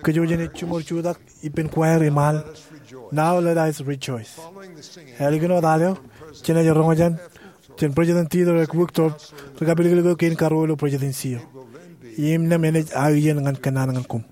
kōj jen jiṃor jutak ippān choir im al, Now Let Us Rejoice. Ālikin wōt al eo, jenaaj roñjake jān President Theodore Uchtdorf, ri kapilōklōk eo kein karuo ilo presidency eo. Im naan enaaj aō iien ñan kōnnaan ñan koṃ.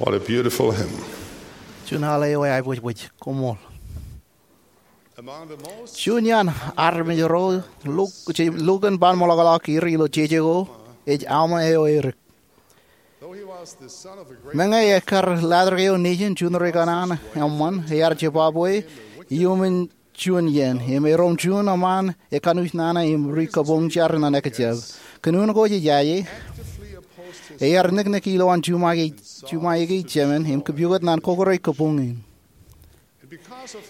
What a beautiful hymn. Juon al eo eaibōjbōj, koṃṃool. Juon iaan armej ro lukkuun ban ṃōḷaḷḷọk er ilo jeje ko ej Alma eo Erik. Meñe ekkar latrōk eo nejin juon ri kanaan eṃṃan, ear jebabwe iuṃwin juon iien, im erom juon eṃṃan ekanooj nana im ri kabuñ jar ñan ekjab. Kōn unin ko jej aje, ear niknik ilowaan juṃae, juṃae eo jemān im kōpooj ñan kokore kabuñ in.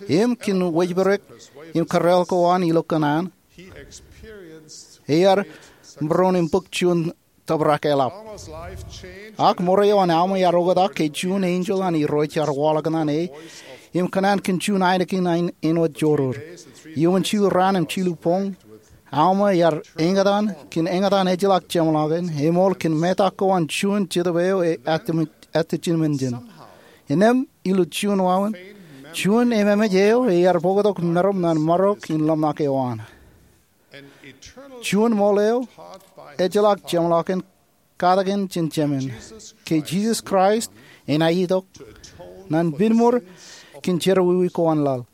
Im kōn wōjparok im kōrreoḷ ko an ilo kōṇaan, ear būruon im bōk juon tōprak eḷap. Ak ṃōrā eo an Alma ear oktak ke juon enjeḷ an Irooj ear waḷọk ñan e im kōṇaan kōn juon ainikien āinwōt joror. Iuṃwin jilu raan im jilu boñ, Alma ear eñtaan kōn eñtaan ejjeḷọk jeṃḷọkin, eṃool kōn metak ko an juon Jetōb eo ejjeḷọk jān. Innām ilo juon wāween, juon ememej eo ear bōktok meram ñan marok in ḷōmṇak eo an. Juon ṃool eo ejjeḷọk jeṃḷọkin katakin jān Jemān, ke Jisōs Kraist enaaj itok ñan pinnṃour kōn jerọwiwi ko an laḷ.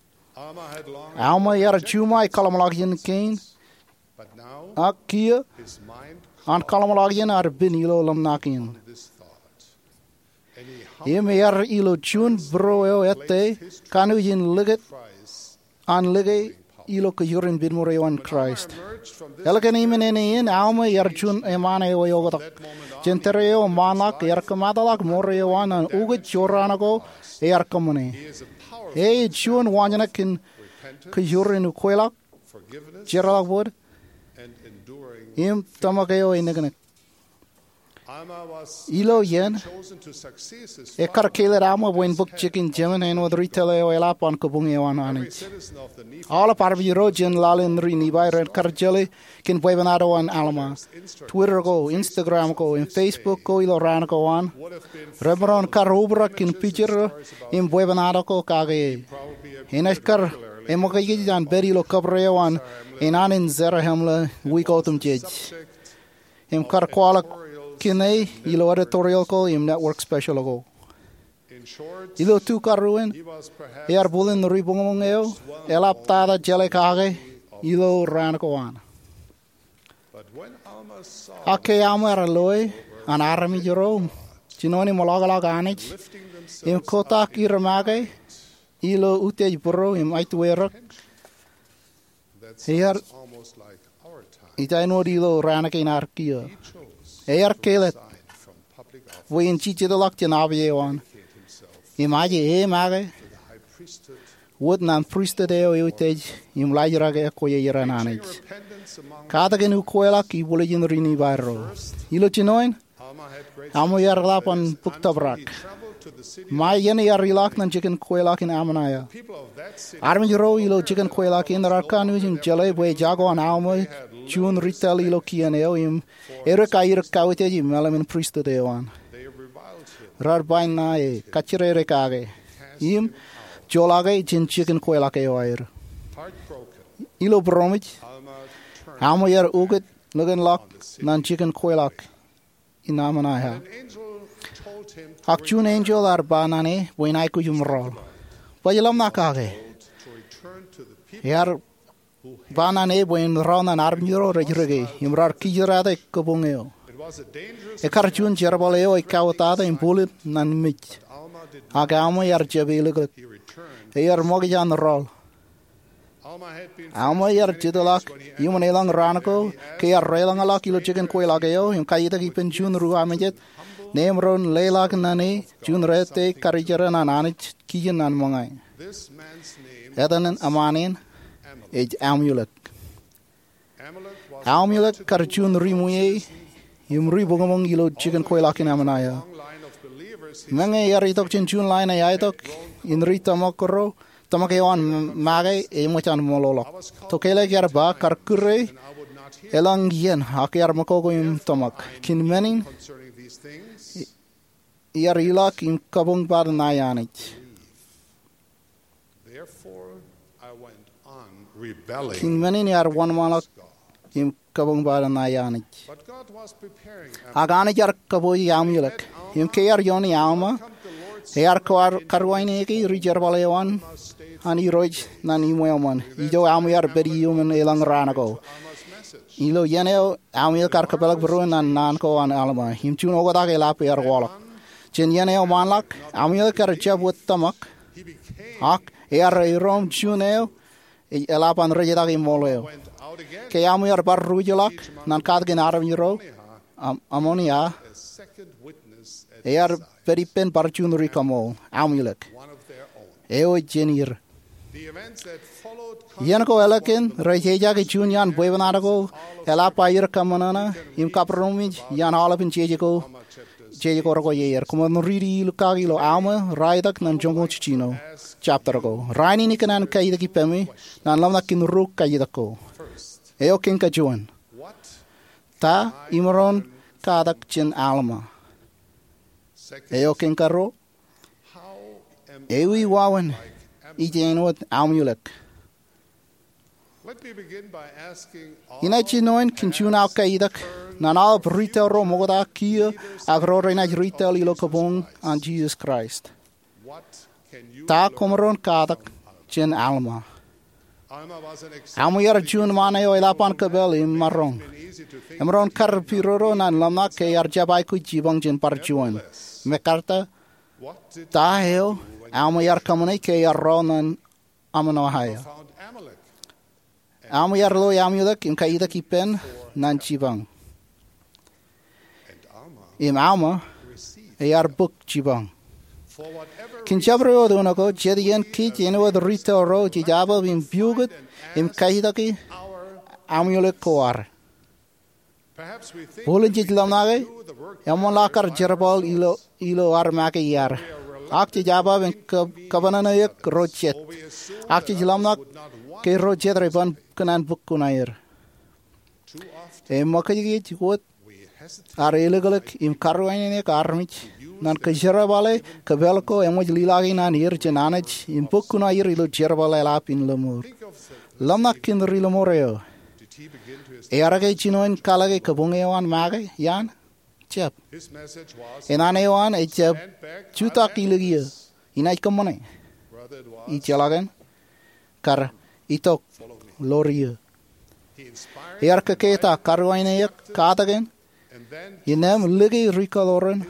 Alma ear juṃae kōḷmānḷọkjeṇ kein, ak kiiō an kōḷmānḷọkjeṇ ear pin ilo ḷōmṇak in. Im ear ilo juon būruo eo ettā kanooj in likūt an lōke ilo kōjwōr in pinnṃour eo an Kraist. Ālikin im eṇ, Alma ear juon eṃṃaan eo eoktak. Jān tōre eo ṃaanḷọk ear kōmataḷọk ṃōrā eo an ñan ukōt jorrāān ko ear kōṃṃane. E ej juon waanjoñak kōn kōjwōr in ukweḷọk, jeorḷọk bōd, im tōmak eo eniknik. Ilo iien, ekkar kāālōt Alma bwe en bōk jikin jemān āinwōt ri tōl eo eḷap an kabuñ eo an Anij. Aolep armej ro jān laḷ in ri Nifai ren kar jeḷā kōn bwebwenato an Alma. Twitter ko, Instagram ko, im Facebook ko ilo raan ko an, ren maroñ kar obrak kōn picture im bwebwenato ko kake e. Enaaj kar eṃōkajkōj an pād ilo kōbōro eo an enaan in Zarahemla wiik otemjej. Im kar kwaḷọk kōn e ilo editorial ko im network special ko. Ilo tu karuwin, ear bōlen ri buñbuñ eo eḷap tata jeḷā kake ilo raan ko an. Ak ke Alma ear loe an armej ro jinoin im ḷọkḷọk Anij im kotak er make ilo utiej būruo im aitwerōk, ear ij āinwōt ilo raan kein ad kiiō. Ear kāālōt bwe en jijetḷọk jān api eo an im aje e make wōt ñan pristut eo eutiej im laajrak ekwe eo an Anij. Katakin ukweḷọk ibwiljin ri Nifai ro. Ilo jinoin, Alma ear ḷap an bōk tōprak. Ṃae iien ear ilọk ñan jikin kweilọk in Ammonihah. Armej ro ilo jikin kweilọk in raar kanooj im jeḷā bwe ejako an Alma juon ri tōl ilo kien eo im Erik aer kautiej im meḷeḷe in pristut eo an. Raar ba ñan e, kajjirere kake im joḷọk e jān jikin kweilọk eo aer. Ilo būroṃōj, Alma ear ukōt likinḷọk ñan jikin kweilọk in Ammonihah. Ak juon enjeḷ ear ba ñan e bwe en aikuj im rọọl. Baj ḷōmṇak kake. Ear ba ñan e bwe en rọọl ñan armej ro rej rike im raar kijirate kabuñ eo. Ekkar juon jerbal eo ej kauwōtata im pulid ñan mej. Ak Alma ear jab eliklik. Ear ṃokta an rọọl. Alma ear jitḷọk iuṃwin eḷaññe raan ko ke ear deḷọñḷọk ilo jikin kweilọk eo im kaitak ippān juon ri-ṃōjet, im maroñ leḷọk ñan e juon rete karijeran an Anij kijen ñan ṃōñā. Etan eṃṃaan in ej Amulek. Amulek kar juon ri-ṃwiie im ri-buñbuñ ilo jikin kweilọk in Ammonihah. Meñe ear itok jān juon line eo aetok in ri tōmak ro, tōmak eo an make eṃōj an ṃōḷoḷọk. Tokālik ear ba kar kūr e eḷaññe iien ak ear ṃōkoko im tōmak. Kōn men in ear ilọk im kabuñ bōd ṇae Anij. Kōn men in ear wōnṃaanḷọk im kabuñ bōd ṇae Anij. Ak Anij ear kabooji Amulek. Im ke ear iooni Alma Ear karuwaineke ri jerbal eo an Irooj ñan iṃweo ṃōn ijo aṃ iar pād iuṃwin elōñ raan ko. Ilo iien eo Amulek ear kōpeḷḷọk būruon ñan naan ko an Alma im juon oktak eḷap ear waḷọk. Jān iien eo ṃaanḷọk, Amulek ear jab wōt tōmak, ak ear iroṃ juon eo eḷap an rejetak im ṃool eo. Ke Alma ear bar ruj ḷọk ñan katakin armej ro Amonia, ear pād ippān bar juon ri kaṃool, Amulek eo ej jān er. Iien ko ālikin rej ejake juon iaan bwebwenato ko eḷap aer kōṃṃanṃan im kabbūroṃōj iaan aolepān jeje ko rekwojarjar. Koṃwin riiti lukkuun ilo Alma, raelōñ ñan joñoul jiljino, jabta ko. Rainin ikōṇaan kaitik ippemi ñan ḷōmṇak in ri kaitik ko. Eo kein kajuon, ta imaroñ katak jān Alma? Eo kein karuo, ewi wāween ij āinwōt Amulek? Inaaj jinoin kōn juon aō kaitik ñan aolep retail ro ṃokta kiiō ak ro renaaj retail ilo kabuñ an Jisōs Kraist. Ta koṃaroñ katak jān Alma? Alma ear juon ṃaan eo eḷap an kōpel im maroñ. Emaroñ kar pidodo ñan ḷōmṇak ke ear jab aikuj jipañ jān bar juon. Mekarta, ta eo Alma ear kōṃṃane ke ear rọọl ñan Amonia? Alma ear loi Amulek im kaitik ippān ñan jipañ. Im Alma ear bōk jipañ. Kōn jabdewōt unin ko, jet iien kōj āinwōt retail ro jej jabdewōt im piukūt im kaitiki Amulek ko ad. Bōlen jej ḷōmṇake eṃṃanḷọk ad jerbal ilo ad make iaad, ak jej jabdewōt im kōpānāne eok ro jet, ak jej ḷōmṇak ke ro jet rej ban kōṇaan bōk kuṇaer. Eṃōkajkōj wōt ad elōklōk im karuwainene eok armej ñan kōjerbale kōpel ko eṃōj lilaki ñan er jān Anij im bōk kuṇaer ilo jerbal eḷap in lōṃoot. Ḷōmṇak kōn ri lōṃoot eo. Ear ke jinoin kalōke kabuñ eo an make iaan? Jab. Naan eo an ej jab jutak ilikiō, inaaj kōṃṃane. Ijjeḷọkin, kar itok ḷọk ioō. Ear kōketak, karuwainene eok, katakin, innām lōke ri kaḷoran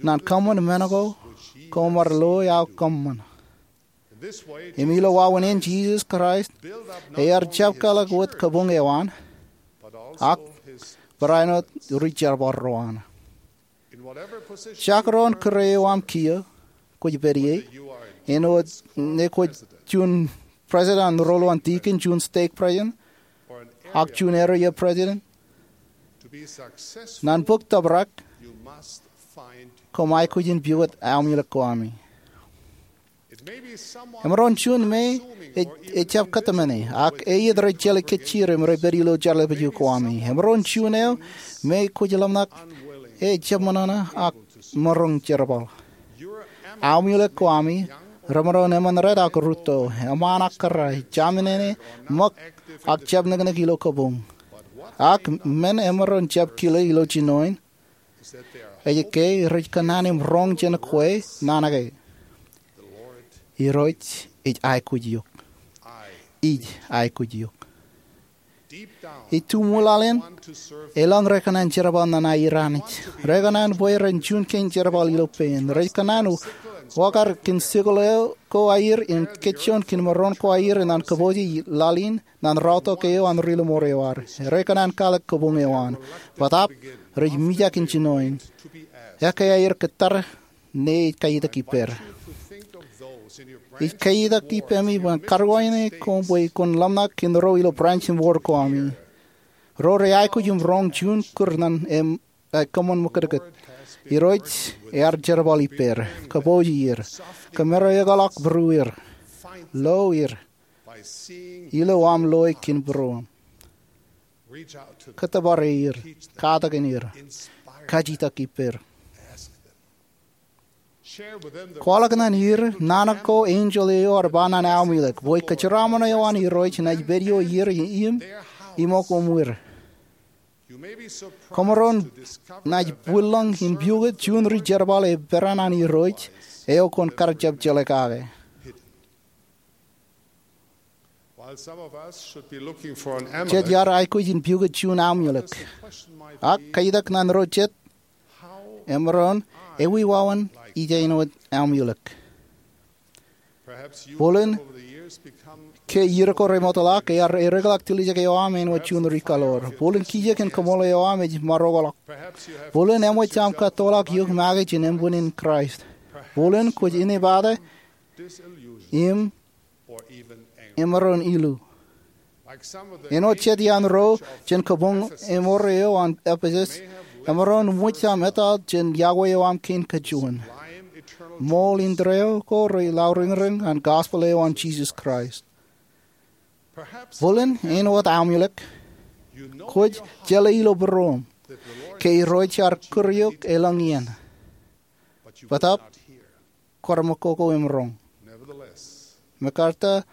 ñan kōṃṃan men ko koṃ ar loi aō kōṃṃan. Im ilo wāween in Jisōs Kraist, ear jab kalōk wōt kabuñ eo an, ak barāinwōt ri jerbal ro an. Jekdọọn kōrā eo aṃ kiiō kwōj pād ie, āinwōt ñe kwōj juon president an roll an deacon, juon stake president, ak juon area president, ñan bōk tōprak, koṃ aikuj in piwōt Amulek ko ami. Emaroñ juon me ejjab kōtmāne, ak eiiet rej jeḷā kōjjier im rej pād ilo jeḷāpjo ko ami. Emaroñ juon eo me kwōj ḷōmṇak ejjab ṃōṇōṇō ak maroñ jerbal. Amulek ko ami remaroñ eṃṃan red ak rūtto, eṃṃaan ak kōrā, jaṃ in āne, ṃōk, ak jab neknek ilo kabuñ. Ak men emaroñ jab kile ilo jinoin ej ke rej kōṇaan im roñ jān kwe naan ke: Irooj ej aikuj eok. Ij aikuj eok. Ituṃwilalen, elōñ rekōṇaan jerbal ñan aer Anij. Rekōṇaan bwe ren juon kein jerbal ilo pein. Rej kōṇaan wōkar kōn sikōḷ ko aer im kōjjoon kōn maroñ ko aer ñan kōpooje laḷ in ñan raorōk eo an ri lōṃoot eo ad. Rekōṇaan kalōk kabuñ eo an. Bōtaab, rej mijak in jinoin. Ekkā aer kōttar ñe ej kaitak ippād. Ij kaitak ippemi bwe in karuwainene koṃ bwe kwōn ḷōmṇak kōn ro ilo branch im ward ko ami, ro rej aikuj im roñ juon kūr ñan aō kōṃṃan ṃōkūtkūt. Irooj ear jerbal ippād. Kōpooje er. Kōmro ekḷọk būrueir. Lo er ilo aṃ loe kōn būruōṃ. Kōttōpar er. Katakin er. Kajitak ippād. Kwaḷọk ñan er naan ko enjeḷ eo ear ba ñan Amulek bwe kōjeraaṃṃan eo an Irooj enaaj pād ioer im iṃōk uṃwir. Koṃaroñ naaj bwilōñ in piukot juon ri jerbal eperan an Irooj eo kwōn kar jab jeḷā kake. Jet iar aikuj in piukot juon amuelōk. Ak kaitak ñan ro jet, emaroñ, ewi wāween ij āinwōt amuelōk? Bōlen ke iiō ko remootḷọk ear ereḷọk tiljek eo aṃ āinwōt juon ri kaḷoor. Bōlen kiiō kōn koṃṃool eo aṃ ej maroñḷọk. Bōlen eṃōj aṃ kattoḷọk eok make jān embun in Kraist. Bōlen kwōj inepata im emaroñ ilu. Āinwōt jet iaan ro jān kabuñ eṃor eo an Epesus, emaroñ ṃōj aṃ etal jān yokwe eo aṃ kein kajuon. Ṃool indeeo ko rej lauriñriñ an gospel eo an Jisōs Kraist. Bōlen āinwōt amuelōk, kwōj jeḷā ilo būruōṃ ke Irooj ear kūr eok elōñ iien. Bōtaab kwō remootḷọk im roñ. Mekarta,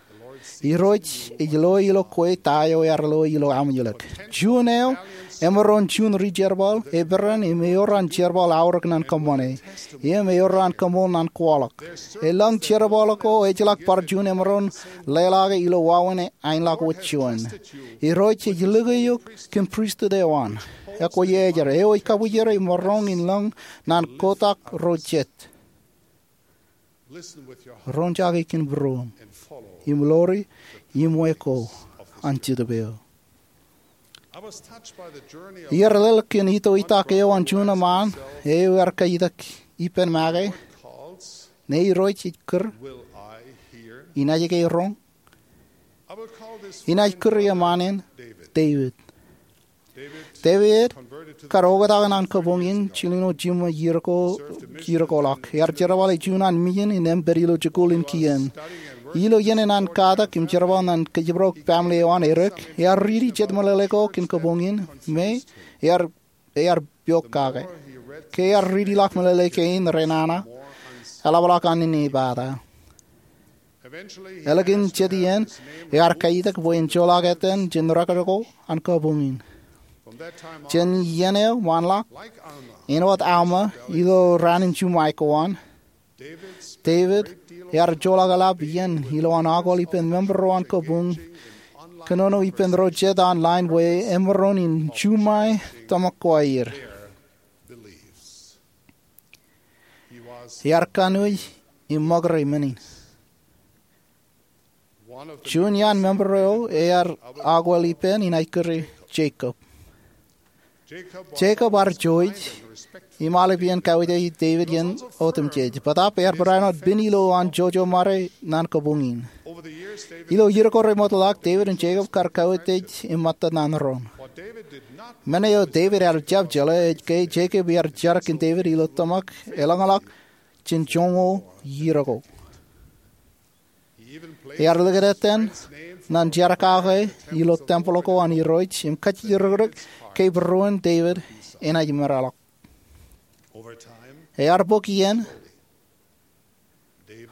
Irooj ej lo ilo kwe ta eo ear lo ilo amuelōk. Juon eo emaroñ juon ri jerbal eperan im ewōr an jerbal aorōk ñan kōṃṃane. Im ewōr an koṃṃool ñan kwaḷọk. Elōñ jerbal ko ejjeḷọk bar juon emaroñ leḷọk ilo wāween aenḷọk wōt juon. Irooj ej likūt eok kōn pristut eo an. Ekwe ej ro eo ej kabwijere im maroñ in lōñ ñan kotak ro jet. Roñjake kōn būruōṃ im ḷoori iṃwe ko an Jetōb eo. Iar leḷọk kōn itoitak eo an juon eṃṃaan eo ear kaitak ippān make, ñe Irooj ej kūr, inaaj ke roñ? Inaaj kūr eṃṃaan in Devid. Devid kar oktak ñan kabuñ in jilñuul jiṃṃa iiō ko, iiō ko ḷọk. Ear jerbale juon an mijin in empen ilo jikuuḷ in kien. Ilo iien in an katak im jerbal ñan kōjparok family eo an Erik, ear riiti jet meḷeḷe ko kōn kabuñ in, me ear, ear piok kake. Ke ear riiti ḷọk meḷeḷe kein renana, eḷapḷọk an inepata. Ālikin jet iien, ear kaitak bwe en joḷọk etan jān record ko an kabuñ in. Jān iien eo ṃaanḷọk, āinwōt Alma ilo raan in juṃae ko an, Devid ear joḷọk eḷap iien ilowaan akwōl ippān member ro an kabuñ kōnono ippān ro jet online bwe emaroñ in juṃae tōmak ko aer. Ear kanooj im ṃōkaj men in. Juon iaan member eo ear akwōl ippān inaaj kure Jacob. Jacob ear jouj im aolep iien kauj Devid iien otemjej. Bōtaab ear barāinwōt pen ilowaan jouj eo ṃare ñan kabuñ in. Ilo iiō ko remootḷọk, Devid im Jacob kar kauj im ṃōttan ñan doon. Men eo Devid ear jab jeḷā ej ke Jacob ear jar kōn Devid ilo tōmak elōñḷọk jān joñoul iiō ko. Ear likūt etan ñan jar kake ilo tempeḷ ko an Irooj im kajjirikdik ke būruon Devid enaaj meḷọkḷọk. Ear bōk iien,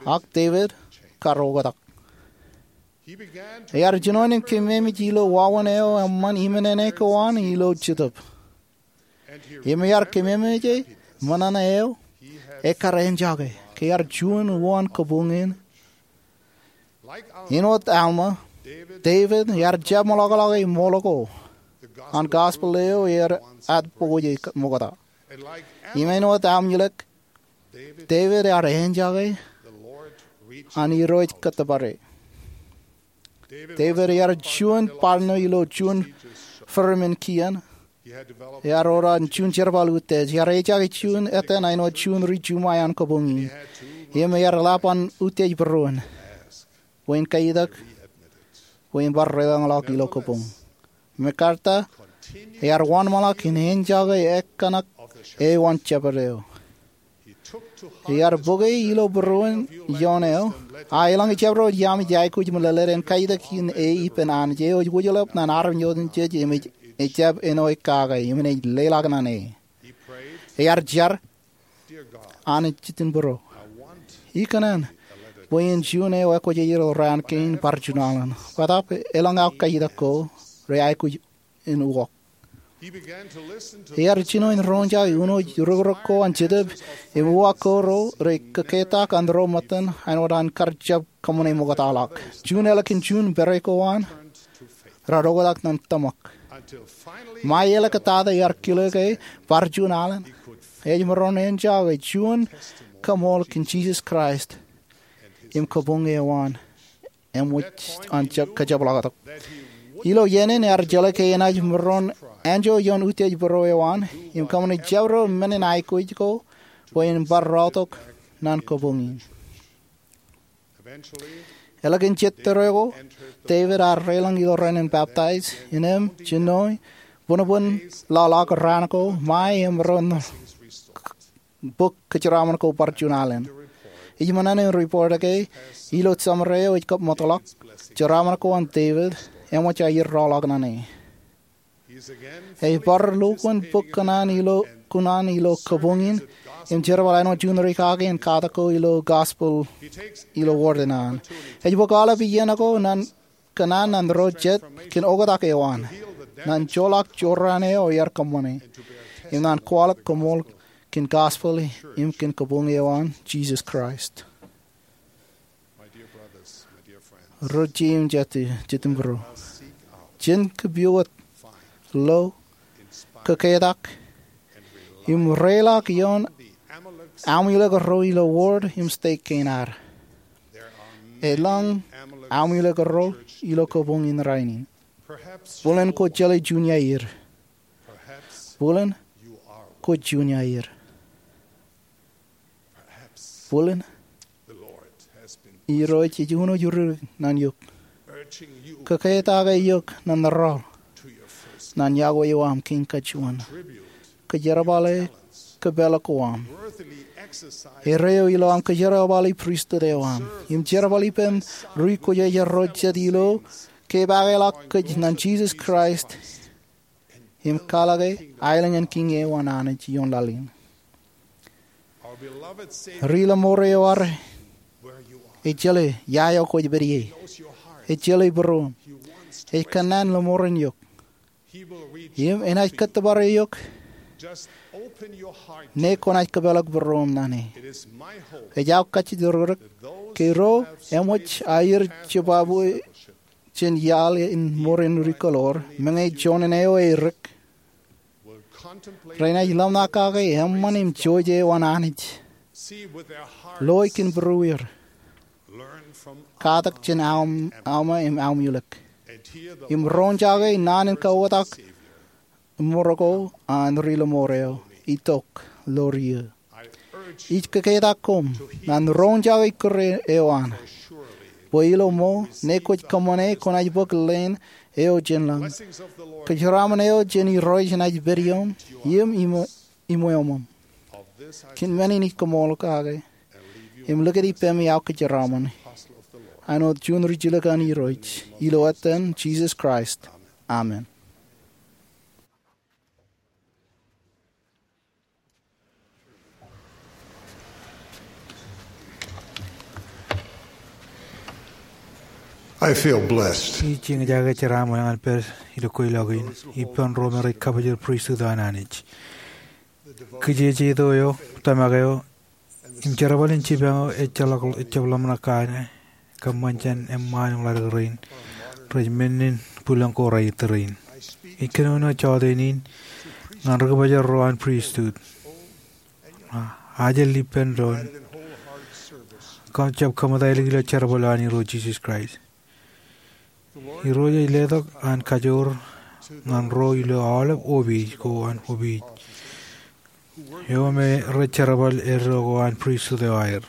ak Devid kar oktak. Ear jinoin kememej ilo wāween eo eṃṃan iminene ko an ilo Jetōb. Im ear kememej ṃōṇōṇō eo ekkar enjake ke ear juon uwaan kabuñ in. Āinwōt Alma, Devid ear jab ṃōḷọkḷọke ṃool ko an gospel eo ear ad bōk ṃokta. Im āinwōt Amulek, Devid ear enjake an Irooj kōttōpare. Devid ear juon bar ṇo ilo juon firmament kien. Ear ewōr an juon jerbal utiej. Ear ejaake juon etan āinwōt juon ri juṃae an kabuñ in. Im ear eḷap an utiej būruon bwe en kaitak bwe en bar deḷọñḷọk ilo kabuñ. Mekarta, ear wōnṃaanḷọk in enjake ekōṇak eo an Jabōt eo. Ear bōke ilo būruon ioon eo, a elōñ ijab ro iaami ej aikuj im lōḷḷap en kaitak in e ippān Anij eo ej wōjḷọk ñan armej otemjej im ej, ejjab āinwōt kake im enaaj leḷọk ñan e. Ear jar, Anij Jitien Bōro, ikōṇaan bwe en juon eo ekwōjarjar ilo raan kein bar junaḷ in. Bōtaab elōñ aō kaitak ko rej aikuj in uwaak. Ear jino in roñjake uno rukruk ko an Jetōb im uwaak ko ro rej kōketak an ro ṃōttan āinwōt an kar jab kōṃṃane ṃoktaḷọk. Juon ālikin juon pere ko an, raar oktak ñan tōmak. Ṃae elōñ tata ear kile ke bar juon alen, ej maroñ enja ke juon kaṃool kōn Jisōs Kraist im kabuñ eo an eṃōj an kajepḷaaktok. Ilo iien in ear jeḷā ke enaaj maroñ anjọ ioon utiej būruō eo an im kōṃṃane jabdewōt men in aikuj ko bwe en bar raotok ñan kabuñ in. Ālikin jet tōre ko, David ear reilañ ilo rainin baptaij, innām jinoe, buñbuñ ḷaḷọk raan ko, ṃae im ro bok kōjeraaṃṃan ko bar juon alen. Ij ṃōṇōṇō in report ke ilo summary eo ej kab ṃōtḷọk, jeraaṃṃan ko an David eṃōj aer rọọlḷọk ñan e. Ej bar lukkuun bōk kōṇaan ilo, kōṇaan ilo kabuñ in im jerbal āinwōt juon ri kake in katak ko ilo gospel ilo ward in an. Ej bōk aolep iien ko ñan kōṇaan ñan ro jet kōn oktak eo an, ñan joḷọk jorrāān eo ear kōṃṃane, im ñan kwaḷọk koṃṃool kōn gospel im kōn kabuñ eo an Jisōs Kraist. Ro jeiū im jatū, jet im būruō, jen kōpooj, lo, kōketak, im reiḷọk ioon aṃ ilōk ro ilo ward im stek kein ad. Elōñ aṃ ilōk ro ilo kabuñ in rainin. Bōlen kwōj jeḷā juon iaer. Bōlen kwōj juon iaer. Bōlen Irooj ej uno eo ri ñan eok, kōketak eok ñan rọọl ñan yokwe eo aṃ kein kajuon, kōjerbale kōpeḷḷọk ko aṃ, erreo ilo aṃ kōjerbale pristut eo aṃ im jerbal ippān ri kwōjarjar ro jet ilo kepaakḷọk kōj ñan Jisōs Kraist im kwaḷọke aelōñ in Kiiñ eo an Anij ioon laḷ in. Ri lọmọọr eo ad, ej jeḷā ia eo kwōj pād ie. Ej jeḷā būruōṃ. Ej kōnnaan lọmọọren eok. Im enaaj kōttōpar eok ñe kwōnaaj kōpeḷḷọk būruōṃ ñan e. Ej aō kajjitōk ke ro eṃōj aer jibabwe jān iaḷ in mour in ri kōḷoor, meñe juon eo erik, renaaj ḷōmṇak kake eṃṃan im jouj eo an Anij, loe kōn būrueir, katak jān Alma im Amulek, im roñjake naan in kaoktak mour ko an ri lọmọọr eo itok ḷọk ri. Ij kōketak koṃ ñan roñjake kūr eo an, bwe ilo ṃool ñe kwōj kōṃṃane kwōnaaj bōk leen eo jān lañ. Kōjeraaṃṃan eo jān Irooj enaaj pād ioṃ im iṃō, iṃōṃ. Kōn men in ij koṃṃool kake im likūt ippemi aō kōjeraaṃṃan āinwōt juon ri jilkinḷọk an Irooj, ilo etan Jisōs Kraist, amen. I feel blessed. Ij eñjake jeraaṃṃan ñan pād ilo kweilọk in ippān ro me rej kabōjrak pristut eo an Anij. Kijeje eo, tōmak eo, im jerbal in jipañ eo ejjeḷọk, ejjab ḷōmṇak kake kōṃṃan jān eṃṃaan im ḷaddik rein rej men in bwilōñ ko raṇe in. Ij kōnono jọteen in ñan ri kabōjrak ro an pristut, ajri ippān doon, kōn jab kōṃṃan ilo jerbal eo an Irooj Jisōs Kraist. Irooj ej letok an kajoor ñan ro ilo aolep opiij ko an opiij eo me rej jerbal eddo ko an pristut eo aer.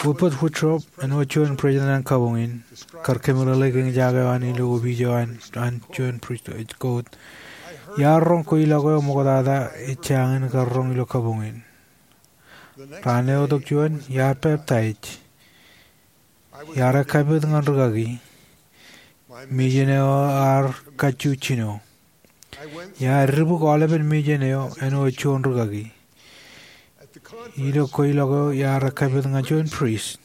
Wilbert Woodruff, āinwōt juon president an kabuñ in, kar kōmeḷeḷe eñjake eo an ilo opiij eo an, an juon pristut ej quote, "Iar roñ kweilọk eo ṃoktata ej jañin kar roñ ilo kabuñ in. Raan eo itok juon, iar peptaij. Iar ekkapit ñan rūkaki. Mejān eo ear kajju jino. Iar dibuk aolepen mejān eo āinwōt juon rūkaki. Ilo kweilọk eo iar ekkapit ñan juon priest.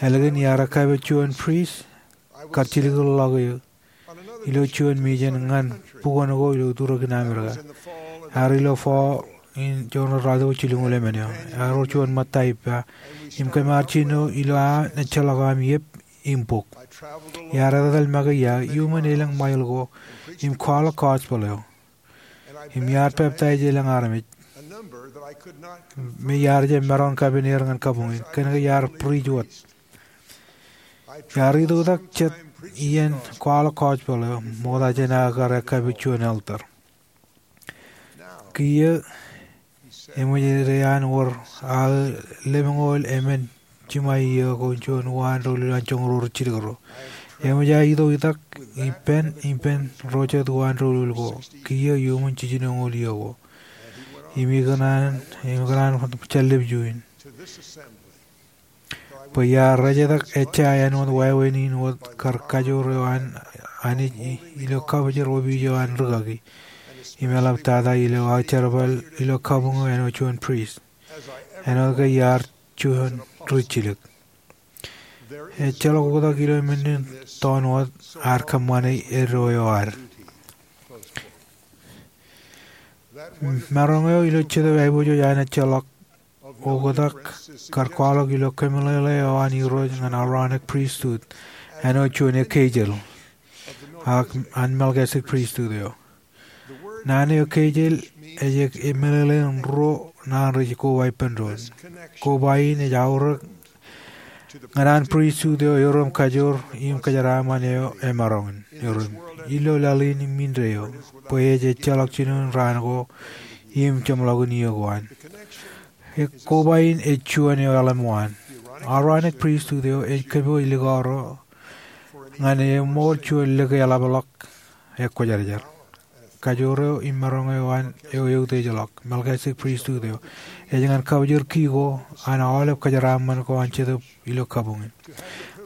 Ālikin iar ekkapit juon priest, kar jilkinḷọk eō. ilo juon mission ñan bukwōn ko ilo turōk in Amerika. Ear ilo fall in juon ruo ratimjuonñoul jilñoul emān eo. Ear wōr juon ṃōtta ippa im kōm ar jino ilo an ejjeḷọk aṃ iep im bok. Iar etetal make ia iuṃwin elōñ mile ko im kwaḷọk gospel eo. Im iar peptaij elōñ armej me iar jab maroñ in kapen er ñan kabuñ in. Kōnke iar bwij wōt. Iar itok itak jet iien kwaḷọk gospel eo, ṃokta jān aō kar ekkapi juon elder. Kiiō, eṃōj ej an wōr aō lemñoul emān jiṃa iiō ko juon uwaan doulul an joñoul ruo ri jilkinro. Eṃōj aō itok itak ippān, ippān ro jet uwaan doulul ko. Kiiō iuṃwin jiljinoñoul iiō ko. Im ikōṇaan, im ikōṇaan jān lepju in. Bwe iar rejetak ejja āinwōt wāween in wōt kar kajoor eo an Anij i-, ilo kabōjrak opiij eo an rūkaki. Im eḷap tata ilo aō jerbal ilo kabuñ eo āinwōt juon priest. Āinwōt ke iar juon ri jilōk. Ejjeḷọk oktak ilo men in tōn wōt ad kōṃṃane eddo eo ad. Maroñ eo ilo Jetōb Aiboojoj an ejjeḷọk oktak kar kwaḷọk ilo kōmeḷeḷe eo an Irooj ñan Aaronic priesthood āinwōt juon ekeijel ak an Melchizedek priesthood eo. Naan eo ekeijel ej, ej meḷeḷein ruo naan rej koba ippān doon. Koba in ej aorōk ñan an priesthood eo erom kajoor im kōjeraaṃṃan eo emaroñ in erom ilo laḷ in im indeeo, bwe ej ejjeḷọk jinoin raan ko im jeṃḷọkin iiō ko an. Koba in ej juon eo eḷap waan. Aaronic priesthood eo ej kōpooj likao ro ñan eṃool juon lōke eḷapḷọk ekwōjarjar. Kajoor eo im maroñ eo an eo eutiejḷọk, Melchizedek priesthood eo, ej ñan kabōjrak ki ko an aolep kōjeraaṃṃan ko an Jetōb ilo kabuñ in.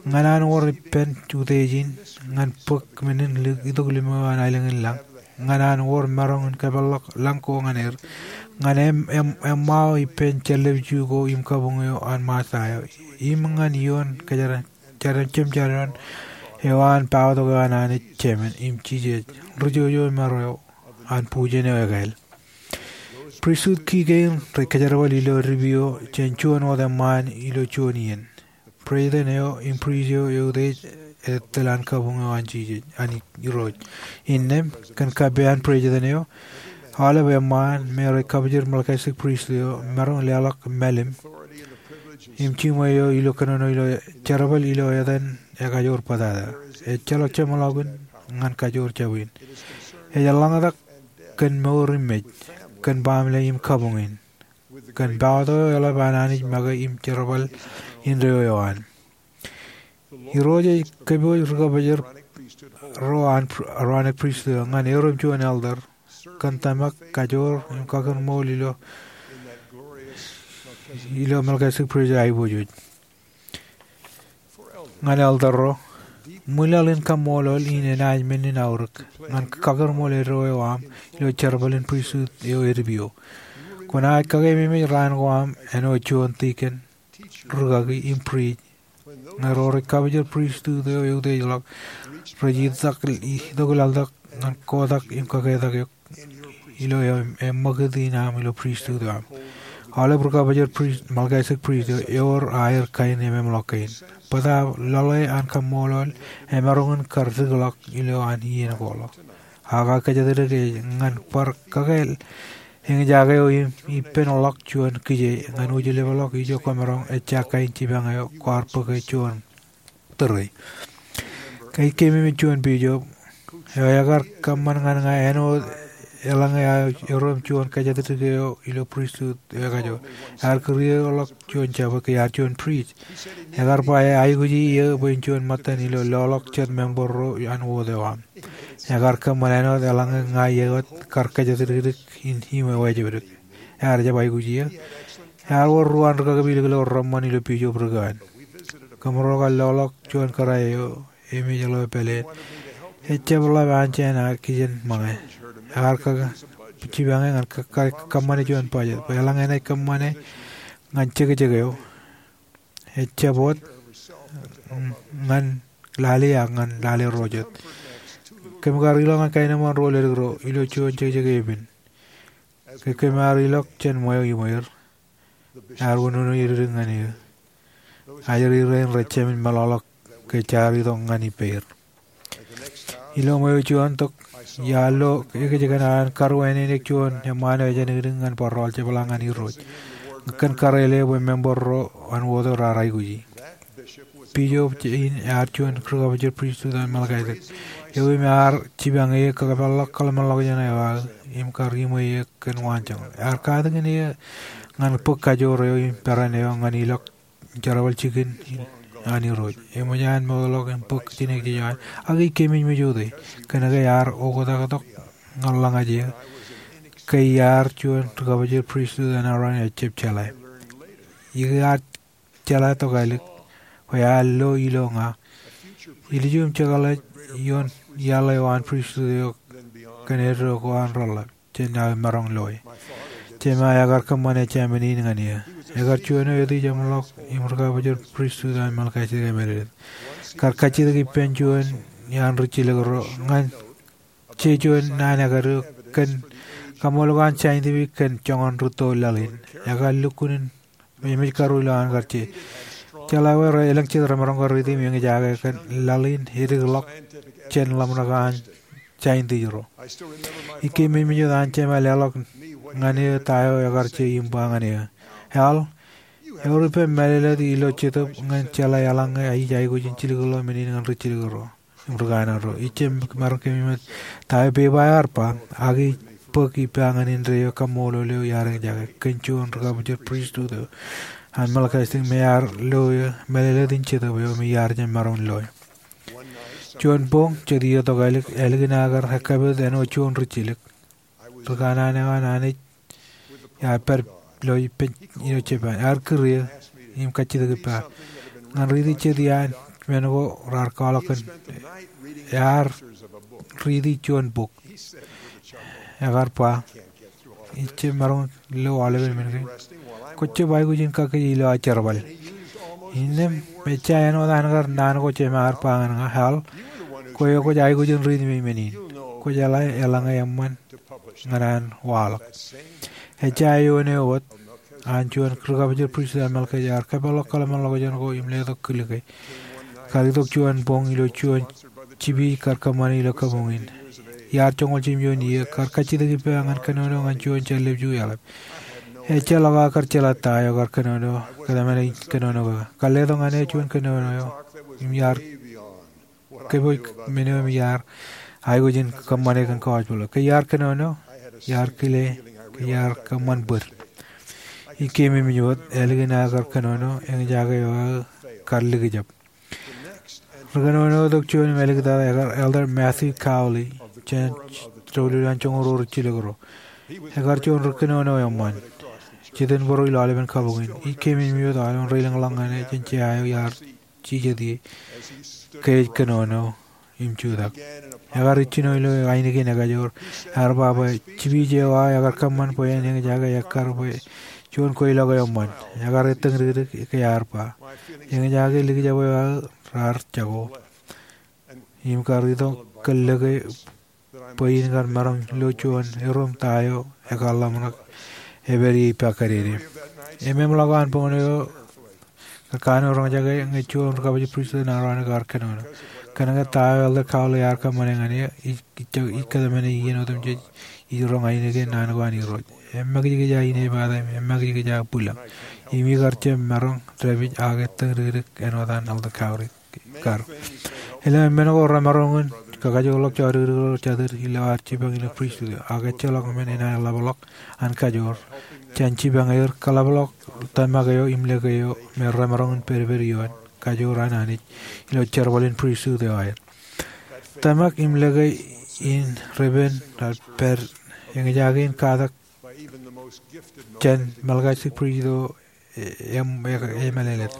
Ñan an wōr ippān utiej in, ñan bōk men in itok limo eo an aelōñ in lañ, ñan an wōr maroñ in kōpeḷḷọk lañ ko ñan er, ñan eṃ, eṃ, eṃṃao ippān jān lepju ko im kabuñ eo an Messiah, im ñan ioon kōjeraṃ jemjadoon eo an paotok eo an Anij Jemān im Jisōs, ri jojo im ro eo an bujen eo ekāāl. Pristut ki kein rej kōjerbal ilo edipio jān juon wōt eṃṃaan ilo juon iien. Prejident eo im prist eo eutiej etal an kabuñ eo an Jisōs, an Irooj. Innām, kōn kappān prejident eo, aolep eṃṃaan me rej kabōjrak Melchizedek pristut eo maroñ leḷọk mālim im jiṃwe eo ilo kōnono ilo jerbal ilo etan ekajoor bōtata. Ejjeḷọk jeṃḷọkin ñan kajoor jabwe in. Ej eḷḷañtak kōn mour im mej, kōn baaṃle im kabuñ in, kōn paotok eo eḷap an Anij make im jerbal indeeo eo an. Irooj ej kōpooj ri kabōjrak ro an Aaronic pristut eo ñan erom juon elder kōn tōmak, kajoor im kakōṃṃool ilo, ilo Melchizedek pristut aiboojoj. Ñan elder ro, ṃwilaḷ in kaṃṃoolol in enaaj men in aorōk ñan kakōṃṃool eddo eo aṃ ilo jerbal in pristut eo edipio. Kwōnaaj kakememej raan ko aṃ āinwōt juon dikon, rūkaki im prist. Ñe ro rej kabōjrak pristut eo eutiejḷọk, rej itok, itok laḷtak ñan kotak im kaketak eok ilo eṃ, eṃṃakūt in aṃ ilo pristut eo aṃ. Aolep ri kabōjrak prist, Melchizedek prist eo, ewōr aer kain ememḷọk kein. Bōtaab lọḷe an kaṃṃoolol emaroñ in kar dikḷọk ilo an iien ko ḷọk. Ak aō kōjatdikdik ej ñan bar kakāāl eñjake eo im ippān ḷọk juon kije ñan ujeḷapḷọk ijo kwōmaroñ ejja kain jipañ eo kwaar bōke juon tōre. Ij keememej juon bishop eo ekar kōṃṃan ñan ña āinwōt eḷaññe aō erom juon kōjatdikdik eo ilo pristut eo ekajoor. Ear kūrieḷọk juon jabōt ke ear juon prist. Ekar ba aikuji eō bwe in juon ṃōttan ilo loḷọk jet member ro an wōt eo aṃ. Ekar kōṃṃan āinwōt eḷaññe ña eo wōt kar kōjatdikdik in im ewājepdik. Ear jab aikuji eō. Ear wōr ruo an ri kakapeliklo reṃṃan ilo bishop ri kewan. Kōmro kar loḷọk juon kōrā eo emej ḷeo pāleen. Ejjab ḷap anjāān ak kijen ṃōñā. Ekar kōkō jipañe ñan kō, kō, kōṃṃane juon bajet bwe eḷaññe enaaj kōṃṃane ñan jekjek eo, ejjab wōt, mm, ñan lale ak ñan lale ro jet. Kōm kar ilọk ñan kaenōṃṃan ro ledik ro ilo juon jekjek epen. Ke kōm ar ilọk jān ṃweo iṃweir, ear unono edik ñan eō. Ajri rein rej jemān meḷọkḷọk ke jaar itok ñan ippāer. Ilo ṃweo juon tok, iar lo ekōjkan an karuwainene juon eṃṃaan eo ejānōkdik ñan barrọọl jepḷaak ñan Irooj kōn karele bwe member ro an wōt eo raar aikuji. Bishop in ear juon ri-kabōjel pristut an Melkisedek eo im ear jipañ eō kōpeḷḷọk kōḷmānḷọkjeṇ eo aō im kar iṃwe eō kōn waanjoñak. Ear katakin eō ñan bōk kajoor eo im peran eo ñan ilọk jerbal jikin an Irooj. Eṃōj an mootḷọk im bōk jinōkjeje eo an, ak ij keememej wōt e, kōnke iar oktak tok ñan ḷōñaj eō ke iar juon ri-kabōjel pristut an Aron eo ejjab jeḷā. Ikōṇaan jeḷā tokālik bwe ear lo ilo ña, ilju im jekḷaj ioon iaḷ eo an pristut eo kōn eddo ko an reḷḷap jān aō maroñ loe. Jema ekar kōṃṃan ejāmin in ñan eō. Ekar juon eo etijeṃḷọk im ri-kabōjel pristut an Melkisedek emālōtlōt. Kar kajjitōk ippān juon iaan rijjilōk ro ñan je juon naan ekar eo kōn kaṃṃoolol an saintiwōt kōn joñan rūtto laḷ in. Ekar lukkuun im emej karuo ilo an kar je. Jeḷā wōt, elōñ jet remaroñ kar riiti im eñjake kōn laḷ in edikḷọk jān ḷōmṇak an saintis ro. Ij keememej wōt an jema leḷọk ñan eō ta eo ekar je im ba ñan eō, Hal, ewōr ippān mālōtlōt ilo jetōb ñan jeḷā eḷaññe ij aikuj in jilkinḷọk men in ñan rijjilōk ro im rūkanaan ro. Ij jab maroñ keememej ta eo pepa eo ear ba, ak ij bōk ippa ñan indeeo kaṃṃoolol eo iar eñjake kōn juon ri-kabōjel pristut eo an Melkisedek me ear lo eō mālōtlōt in jetōb eo me iar jab maroñ loe. Juon boñ jet iiō tokālik, ālikin aō kar ekkapit āinwōt juon rijjilōk, rūkanaan eo an Anij ear pād ilo ippān ilo Japan. Ear kūr eō im kajjitōk ippa ñan riiti jet iaan men ko raar kwaḷọk kōn. Ear riiti juon bok. Ekar ba, Ij jab maroñ lo aolepen men kein. Kwō jab aikuj in kakkije ilo aō jerbal. Innām ejja āinwōt an kar naan ko jema ear ba ñan ña, Hal, kwe kwōj aikuj in riiti men in. Kwō jeḷā eḷaññe eṃṃan ñan an waḷọk. Ejja eoon eo wōt an juon ri-kabōjel pristut an Melkisedek ear kōpeḷḷọk kōḷmānḷọkjeṇ ko im letok kūrḷọk e. Kar itok juon boñ ilo juon jipi kar kōṃṃane ilo kabuñ in. Iar joñoul jimjuon iiō, kar kajjitōk ippa ñan kōnono ñan juon jān lepju eḷap. Ejjeḷọk aō kar jeḷā ta eo kar kōnono, kōtmāne in kōnono ke. Kar letok ñan e juon kōnono eo im iar kōpooj men eo im iar aikuj in kōṃṃane kōn gospel. Ke iar kōnono, iar kile, ke iar kōṃṃan bōd. Ij keememej wōt, ālikin aō kar kōnono, eñjake eo aō kar likjab. Ri-kōnono tok juon im āliktata ekar Elder Matthew Cowley, jān doulul an joñoul ruo rijjilōk ro. Ekar juon ri-kōnono eṃṃan. Jitōnbōro ilo aolepen kabuñ in. Ij keememej wōt aolepen reilōñḷọk ñan e jān jea eo iar jijet ie ke ej kōnono im jutak. Ekar ijjino ilo ainikien ekajoor. Ear ba bwe jipij eo aō ekar kōṃṃan bwe en eñjake ekkar bwe juon kweilọk eo eṃṃan. Ekar ettōñ dikdik ke ear ba, Eñjake likjab eo aō raar jako im kar itok kōn lōke bwe in kar maroñ lo juon erom ta eo ekar ḷōmṇak epād ie ippa kōdede. Im eṃṃanḷọk an boñ eo kar kanooj roñjake ñe juon ri-kabōjel pristut an Aron kar kōnono. Kōnke ta eo Elder Cowley ear kōṃṃane ñan e, ij, ij kōtmāne iien otemjej ij roñ ainikien naan ko an Irooj. Emakijkij aō inepata im emakijkij aō bwilōñ. Im ikar jab maroñ dāpij ak ettōñ dikdik āinwōt an Elder Cowley kar. Elōñ men ko remaroñ in kakajoorḷọk jodikdik ro jatid ilo ad jipañ ilo pristut eo, ak ejjeḷọk men enaaj ḷapḷọk an kajoor jān jipañ er kōḷapḷọk tōmak eo im lōke eo me remaroñ in pedped ioon kajoor an Anij ilo jerbal in pristut eo aer. Tōmak im lōke in repen raar pād eñjake in katak jān Melkisedek pristut eo e, e, emālōtlōt.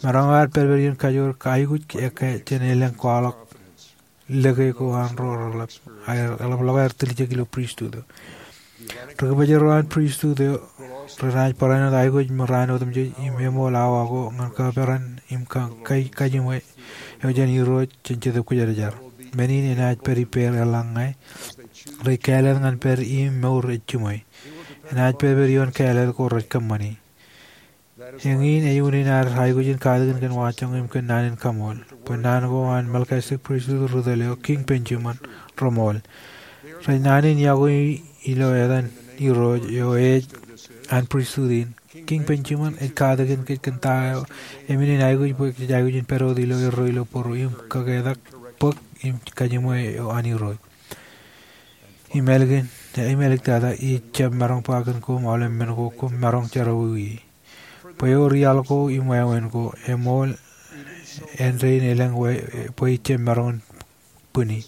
Maroñ aer pedped ioon kajoor aikuj ekkā jān elōñ kwaḷọk lōke ko an ro reḷap, aer, eḷapḷọk aer tiljek ilo pristut eo. Ri-kōpojak ro an pristut eo renaaj barāinwōt aikuj im raan otemjej im eṃool awa ko ñan kaperan im ka, ka, kajiṃwe eo jān Irooj jān Jetōb Kwōjarjar. men in enaaj pād ippāer eḷaññe rej kāālōt ñan pād im mour ej jiṃwe. Enaaj pād ioon kāālōt ko rej kōṃṃani. Eñin ej unin ad aikuj in katakin kōn waanjoñak im kōn naan in kaṃool. Bwe naan ko an Melkisedek Pristut ri tōl eo Kiiñ Benjamin reṃool. Rej naan in yokwe ilo etan Irooj eo ej an pristut in. Kiiñ Benjamin ej katakin kōj kōn ta eo eṃṃan in aikuj bwe kōj aikuj in pād wōt ilo erro ilo būruō im kaketak bōk im kajiṃwe eo an Irooj. Im ālikin, im āliktata, ij jab maroñ ba kōn koṃ aolep men ko koṃ maroñ jerọwiwi. Bwe ewōr iaḷ ko im wāween ko, eṃool āindein elōñ bwe ij jab maroñ in bwini.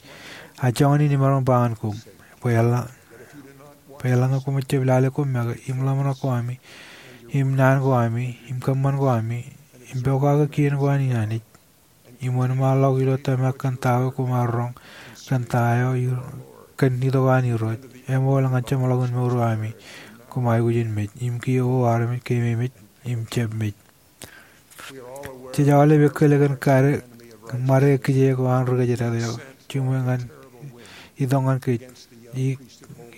A joñan in imaroñ ba ñan koṃ, bwe eḷaññe, bwe eḷaññe koṃij jab lale koṃ make, im ḷōmṇak ko ami, im naan ko ami, im kōṃṃan ko ami, im pokake kien ko an Anij, im wōnṃaanḷọk ilo tōmak kōn ta eo koṃ ar roñ kōn ta eo, kōn itok an Irooj, eṃool ñan jeṃḷọkin mour eo ami, koṃ aikuj in mej, im kiiō armej keememej im jab mej. Jej aolep ekkōl kōn kade ṃade kijeek eo an ri kōjdat eo jiṃwe ñan itok ñan kōj, i,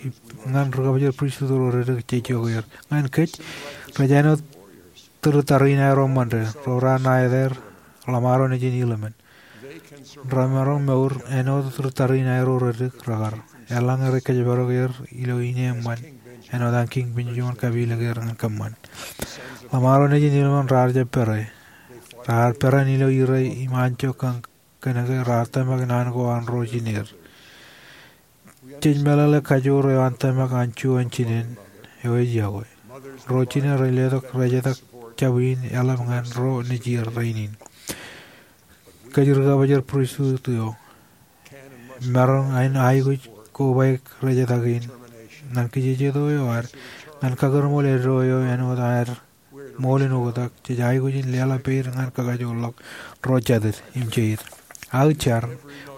i, ñan ri kabōjor pristut ro reddik jej itok er. Ñan kōj, rej āinwōt tūrittariṇae ro ṃōnde, ro raar ṇa etaer ḷōṃaro nejin ilimen. Remaroñ mour āinwōt tūrittariṇae ro reddik rekar, eḷaññe rej kōjparok er ilo ine eṃṃan āinwōt an Kiiñ Benjamin kapilōk er ñan kōṃṃan. Ḷōṃaro nejin ilimen raar jab pere. Raar peran ilo ire im anjọ kōn kōnke raar tōmak naan ko an ro jineer. Jej meḷeḷe kajoor eo an tōmak an juon jinen eo ej yokwe. Ro jinen rej letok rejetak jab in eḷap ñan ro nejier rainin. Kōj ri kabōjor pristut eo, maroñ in aikuj kobaik rejetak in ñan kijejeto eo ad, ñan kakūrṃool eddo eo āinwōt ad ṃool in oktak, jej aikuj in leḷọk peid ñan kakajoorḷọk ro jatid im jeid. Aō jar,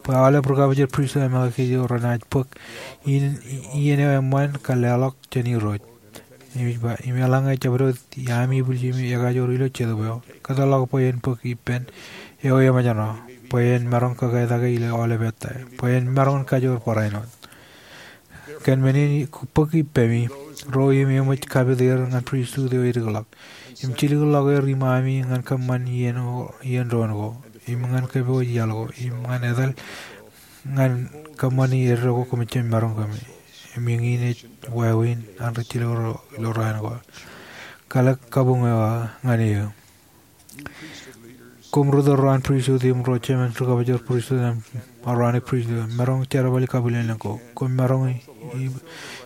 bwe aolep ri kabōjor pristut eo Melkisedek renaaj bōk iien eo eṃṃan kar leḷọk jān Irooj. Im ej ba, im eḷaññe jabdewōt ami ibwiljimi ekajoor ilo Jetōb eo, kōtḷọk bwe en bōk ippān eo emōjṇọ, bwe en maroñ kakātake ilo aolep ettā, bwe en maroñ in kajoor barāinwōt. Kōn men in bōk ippemi, ro im eṃōj kapit er ñan pristut eo edikḷọk, im jilikḷọk er iṃaami ñan kōṃṃan iien, iien doon ko, im ñan kōpooj iaḷ ko, im ñan etal ñan kōṃṃani eddo ko koṃij jab maroñ kōmi. Im eñin ej wāween an rijjilōk ro ilo raan ko. Kalōk kabuñ eo aō ñan eō. Koṃ ri tōl ro an pristut im ro jemān ri kabōjor pristut im Aronik pristut, maroñ jerbali kabwilōñlōñ ko. Koṃ maroñ i, i,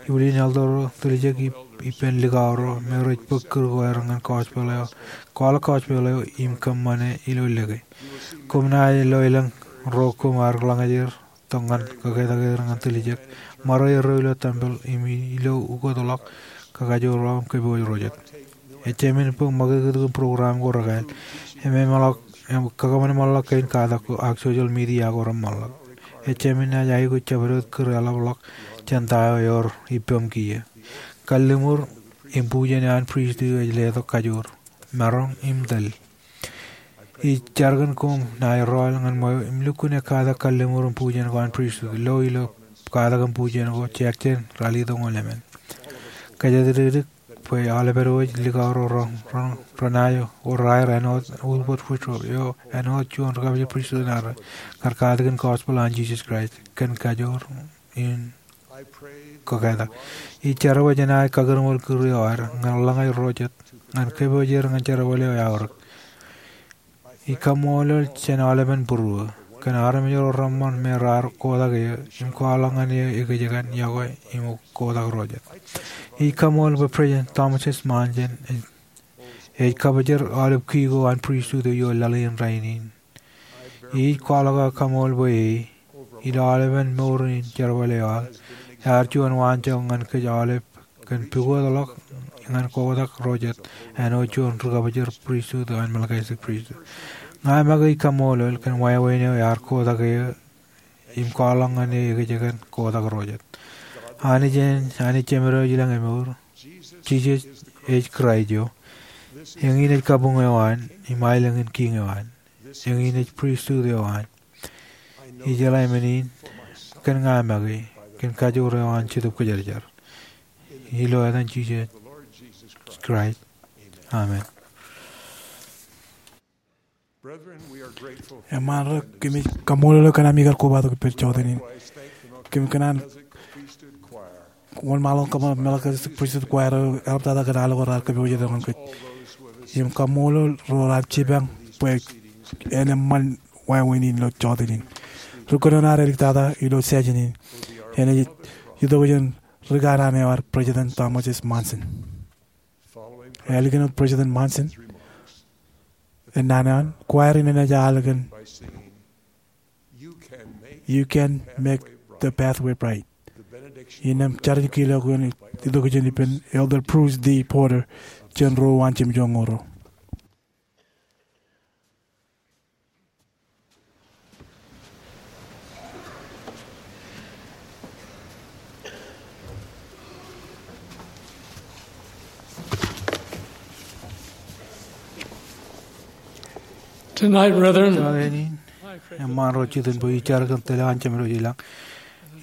ibwilin elder ro, tiljek i, ippān likao ro me rej bōk kūr ko aer ñan gospel eo, kwaḷọk gospel eo im kōṃṃane ilo lōke. Koṃ naaj loelōñ ro koṃ ar ḷōñōj er tok ñan kakātake er ñan tiljek, ṃare erro ilo tempel im ilo ukōtḷọk kakajoorḷọk im kōpooj ro jet. Ejāmin bōk ṃakūtkūt kōn program ko rekāāl, im eṃṃanḷọk, im kakōṃanṃanḷọk kein katak ko ak social media ko reṃṃanḷọk. Ejāmin naaj aikuj jabdewōt kūr eḷapḷọk jān ta eo ewōr ippaṃ kiiō. Kalliṃur im bujen eo an pristut eo ej letok kajoor, maroñ im tōl. Ij jar kōn koṃ naaj rọọl ñan ṃweo im lukkuun katak kalliṃur im bujen ko an pristut, lo ilo katak im bujen ko jekjān ralitōñoul emān. Kōjatdikdik bwe aolep edwōj likao ro ren, ren, renaaj wōr aer āinwōt Wilbur Woodruff eo āinwōt juon ri kabōjor pristut ṇe rej kar katakin gospel an Jisōs Kraist kōn kajoor im kakātak. Ij jar bwe jenaaj kakūrṃool kūr eo ad ñan ḷōñōj ro jet ñan kōpooj er ñan jerbal eo eaorōk. Ij kaṃṃoolol jān aolepen būruō kōn armej ro reṃṃan me raar kotak eō im kwaḷọk ñan eō ekōjkan yokwe im kotak ro jet. Ij kaṃṃool bwe President Thomas S. Monson ej, ej kabōjor aolep kii ko an pristut eo laḷ in rainin. Ij kwaḷọk aō kaṃṃool bwe e, ilo aolepen mour in jerbal eo aō, ear juon waanjoñak ñan kōj aolep kōn pukotḷọk ñan kotak ro jet āinwōt juon ri kabōjor pristut eo an Melkisedek Pristut. Ña make ij kaṃṃoolol kōn wāween eo ear kotak eō im kwaḷọk ñan eō ekōjkan kotak ro jet. Anij en, Anij Jemedwōj ilañ emour, Jisōs ej Kraist eo. Eñin ej kabuñ eo an, im aelōñ in kiiñ eo an. Eñin ej pristut eo an. Ijeḷā men in kōn ña make, kōn kajoor eo an Jetōb Kwōjarjar. Ilo etan Jisōs Kraist, amen. Eṃṃan ro, kōmij kaṃṃoolol eok kōn ami kar kobatok ippān jota in. Kōm kōṇaan wōnṃaanḷọk kōṃṃan Melchizedek Priesthood Choir eo eḷaptata kōn aolep raar kōpooje doon kōj. Im kaṃṃoolol ro raar jipañ bwe en eṃṃan wāween in ilo jota in. Ri kōnono ear āliktata ilo session in. Enaaj itok jān ri kanaan eo ad, President Thomas S. Monson. Ālikin wōt President Monson ej naan eo an, choir in enaaj al kōn You Can Make the Pathway Bright. Innām jar in kiiō eo itok jān ippān Elder Bruce D. Porter, jān ro eo an jemjoñoul ro. Tonight, brethren, Jota in, eṃṃan ro jitōnbōjrak kōn tōl eo an Jemem ilo ilañ.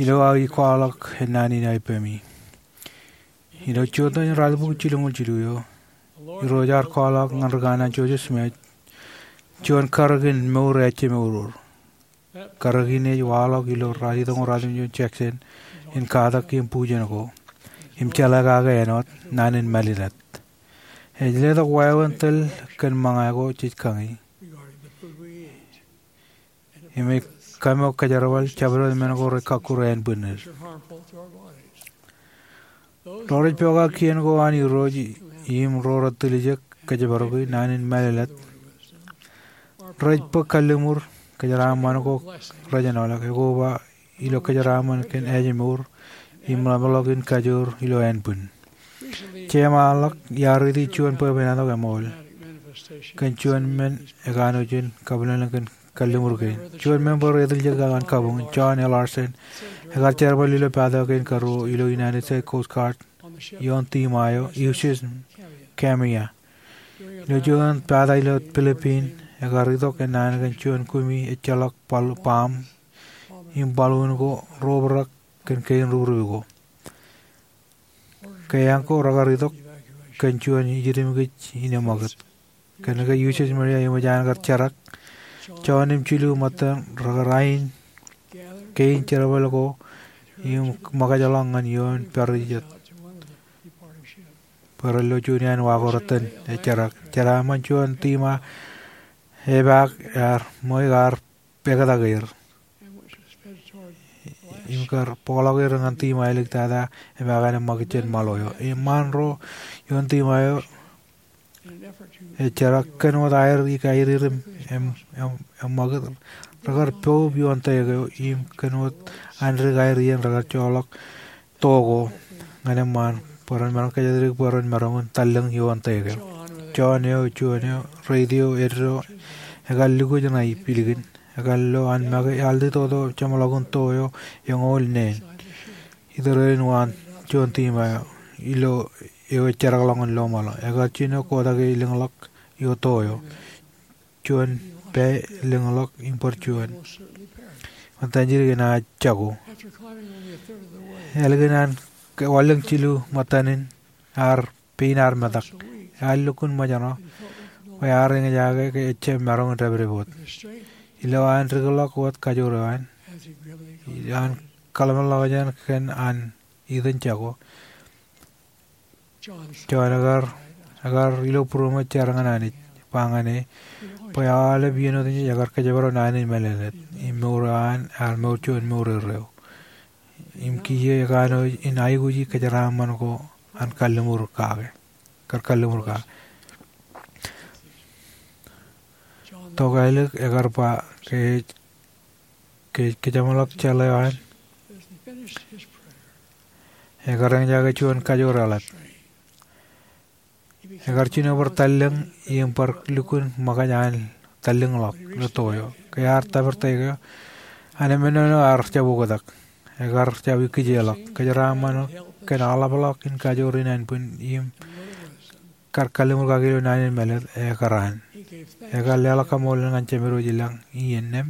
Ilo aō kwaḷọk, ej naan in aō ippemi. Ilo jota in ruatimjuonñoul jilu eo, Irooj ear kwaḷọk ñan ri kanaan Joseph Smith juon karōk in mour eo ejjemour. Karōk in ej waḷọk ilo ralitōñoul ruatimjuon Jackson in katak im bujen ko im jeḷā kake āinwōt naan in mālōtlōt. Ej letok wāween tōl kōn ṃōñā ko jej kañi im ej kaṃo kōjerbal jabdewōt men ko rej kakkure ānbwinnid. Ro rej pokake kien ko an Irooj im ro rej tiljek kōjparok naan in mālōtlōt rej bōk kalliṃur kōjeraaṃṃan ko rej āinwōt ḷọk ekoba ilo kōjeraaṃṃan kōn ājmour im ḷapḷọk in kajoor ilo ānbwin. Jeiṃaanḷọk iar riiti juon bwebwenato eṃool kōn juon men ekanooj in kabwilōñlōñ kōn kalliṃur kein. Juon member eo etiljek eo an kabuñ, John L. Larsen, ekar jerbal ilo pata kein karuo ilo United States Coast Guard ioon tiṃa eo, U S S Kamiya. Ilo juon pata ilo Philippine, ekar itok naan kōn juon kumi ejjeḷọk baḷ-, baṃ im baḷuun ko ro obrak kōn kein rūrū ko. Ke eañ ko rekar itok kōn juon ijidimkij in eṃṃakūt. Kōnke U S S Maria eṃōj an kar jerak, juon im jilu ṃōttan rekar ain kein jerbal ko im ṃōkajḷọk ñan ioon pād jet bwe ren lo juon iaan wa ko retten ejjerak. Jeraaṃṃan juon tiṃa epaak ear ṃōj kar pād tok er im kar bōkḷọk er ñan tiṃa eo āliktata epaak an eṃṃakūt jān ṃaḷo eo. Eṃṃaan ro ioon tiṃa eo ejjerak kōn wōt aer ikaer er im eṃ-, eṃ-, eṃṃakūt, rekar poub ioon tōl eo im kōn wōt an dik aer iien rekar joḷọk to ko ñan eṃṃaan bwe ren maroñ kōjatdikdik bwe ren maroñ in tallōñ ioon tōl eo. John eo, juon eo, radio eddo, ekar lukkuun ṇa ilikin. Ekar lo an make ealtitoto jeṃḷọkin to eo eñoul neen. Itōrerein waan juon tiṃa eo ilo eo ejjerakḷọk ñan lọmaḷo. Ekar jino kotake lōñḷọk ioon to eo. Juon pā lōñḷọk im bar juon. Ṃōttan jidik enaaj jako. Ālikin an wanlōñ jilu ṃōttan in, ear pein ear metak. Ear lukkuun ṃōjṇọ bwe ear eñjake ke ejjab maroñ in dāpdep wōt. Ilo an dikḷọk wōt kajoor eo an, ilo an kaḷmenḷọkjeṇ kōn an itok jako, John ekar, ekar ilo būroṃōj jar ñan Anij, ba ñan e bwe aolep iien otemjej ekar kōjparok naan in mālōtlōt im mour eo an ear mour juon mour erreo. Im kiiō ekanooj in aikuji kōjeraaṃṃan ko an kalliṃur kake, kar kalliṃur kake. Tokālik ekar ba ke, ke, kōjeṃḷọk jeḷā eo an, ekar eñjake juon kajoor eḷap. Ekar jino bar tallōñ im bar lukkuun ṃōkaj an tallōñḷọk ilo to eo. Ke ear tōpar tōl eo, an emān eo ear jab oktak. Ekar jab ikkijeḷọk. Kōjeraaṃṃan kōn aḷapḷọk in kajoor in ānbwin im kar kalliṃur kake ilo naan in mālōtlōt ekaraan. Ekar leḷọk kaṃṃoolol ñan Jemedwōj ilañ iien ṇem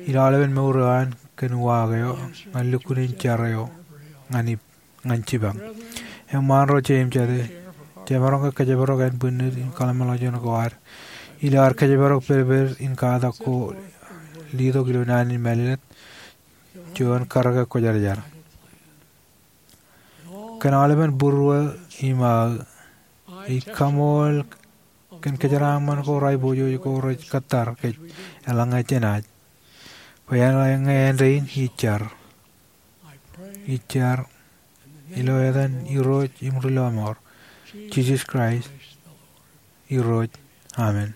ilo aolepen mour eo an kōn uwaak eo ñan lukkuun jar eo ñan ij ñan jipañ. Eṃṃaan ro jeiū im jatū, jemaroñ ke kōjparok ānbwinnid im kōḷmānḷọkjeṇ ko ad ilo ad kōjparok pedped in katak ko letok ilo naan in mālōtlōt juon karōke kwōjarjar. Kōn aolepen būruō im aō, ij kaṃool kōn kōjeraaṃṃan ko reaiboojoj ko rej kōttar kōj eḷaññe jenaaj, bwe eḷaññe āindein ij jar. Ij jar ilo etan Irooj im Ri-lọmọọr, Jisōs Kraist, Irooj. Amen.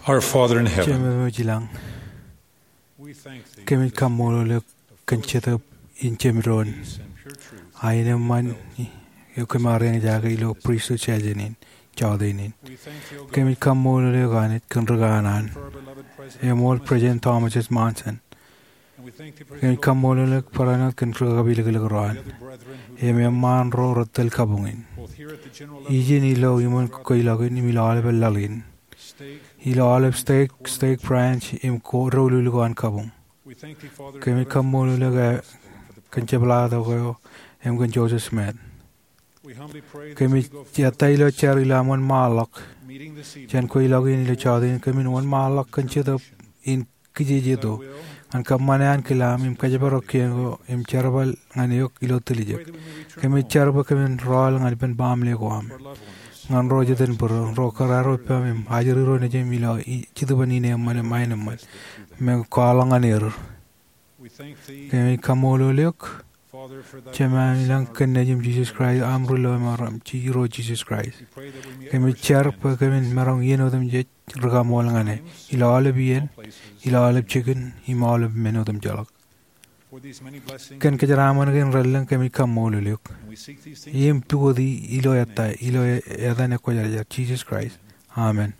Our Father in heaven, Jemem eo ej ilañ, kōmij kaṃṃoolol eok kōn Jetōb in Jemdoon, a in eṃṃan eo kōm ar eñjake ilo pristut jājen in, jọteen in. Kōmij kaṃṃoolol eok Anij kōn ri kanaan, eṃool President Thomas S. Monson. Kōmij kaṃṃoolol eok barāinwōt kōn ri kapilōklōk ro an, im eṃṃaan ro rej tōl kabuñ in, ijin ilo iṃōn kweilọk in im ilo aolep laḷ in, ilo aolep stake, stake branch im ko doulul ko an kabuñ. Kōmij kaṃṃoolol eok kōn jepḷaak eo im kōn Joseph Smith. Kōmij ettā ilo jar ilo aṃ wōnṃaanḷọk jān kweilọk in ilo jọteen in, kōmin wōnṃaanḷọk kōn Jetōb in kijejeto ñan kōṃṃane ankilaam im kōjparok kien ko im jerbal ñan eok ilo tiljek. Kōmij jar bwe kōmin rọọl ñan ippān baaṃle ko aṃ, ñan ro jet in būruō, ro kōrā ro ippaṃ im ajri ro nejūṃ ilo i-, Jetōb in eṃṃan im aenōṃṃan, im kwaḷọk ñan er. Kōmij kaṃṃoolol eok Jemem ilañ kōn Nejiṃ Jisōs Kraist, aṃ Ri Lọmọọr im Irooj Jisōs Kraist. Kōmij jar bwe kōmin maroñ iien otemjej ri kaṃool ñan e, ilo aolep iien, ilo aolep jikin, im aolep men otemjeḷọk. Kōn kōjeraaṃṃan kein relōñ kōmij kaṃṃoolol eok. Im pukot ilo ettā, ilo etan Ekwōjarjar, Jisōs Kraist. Amen.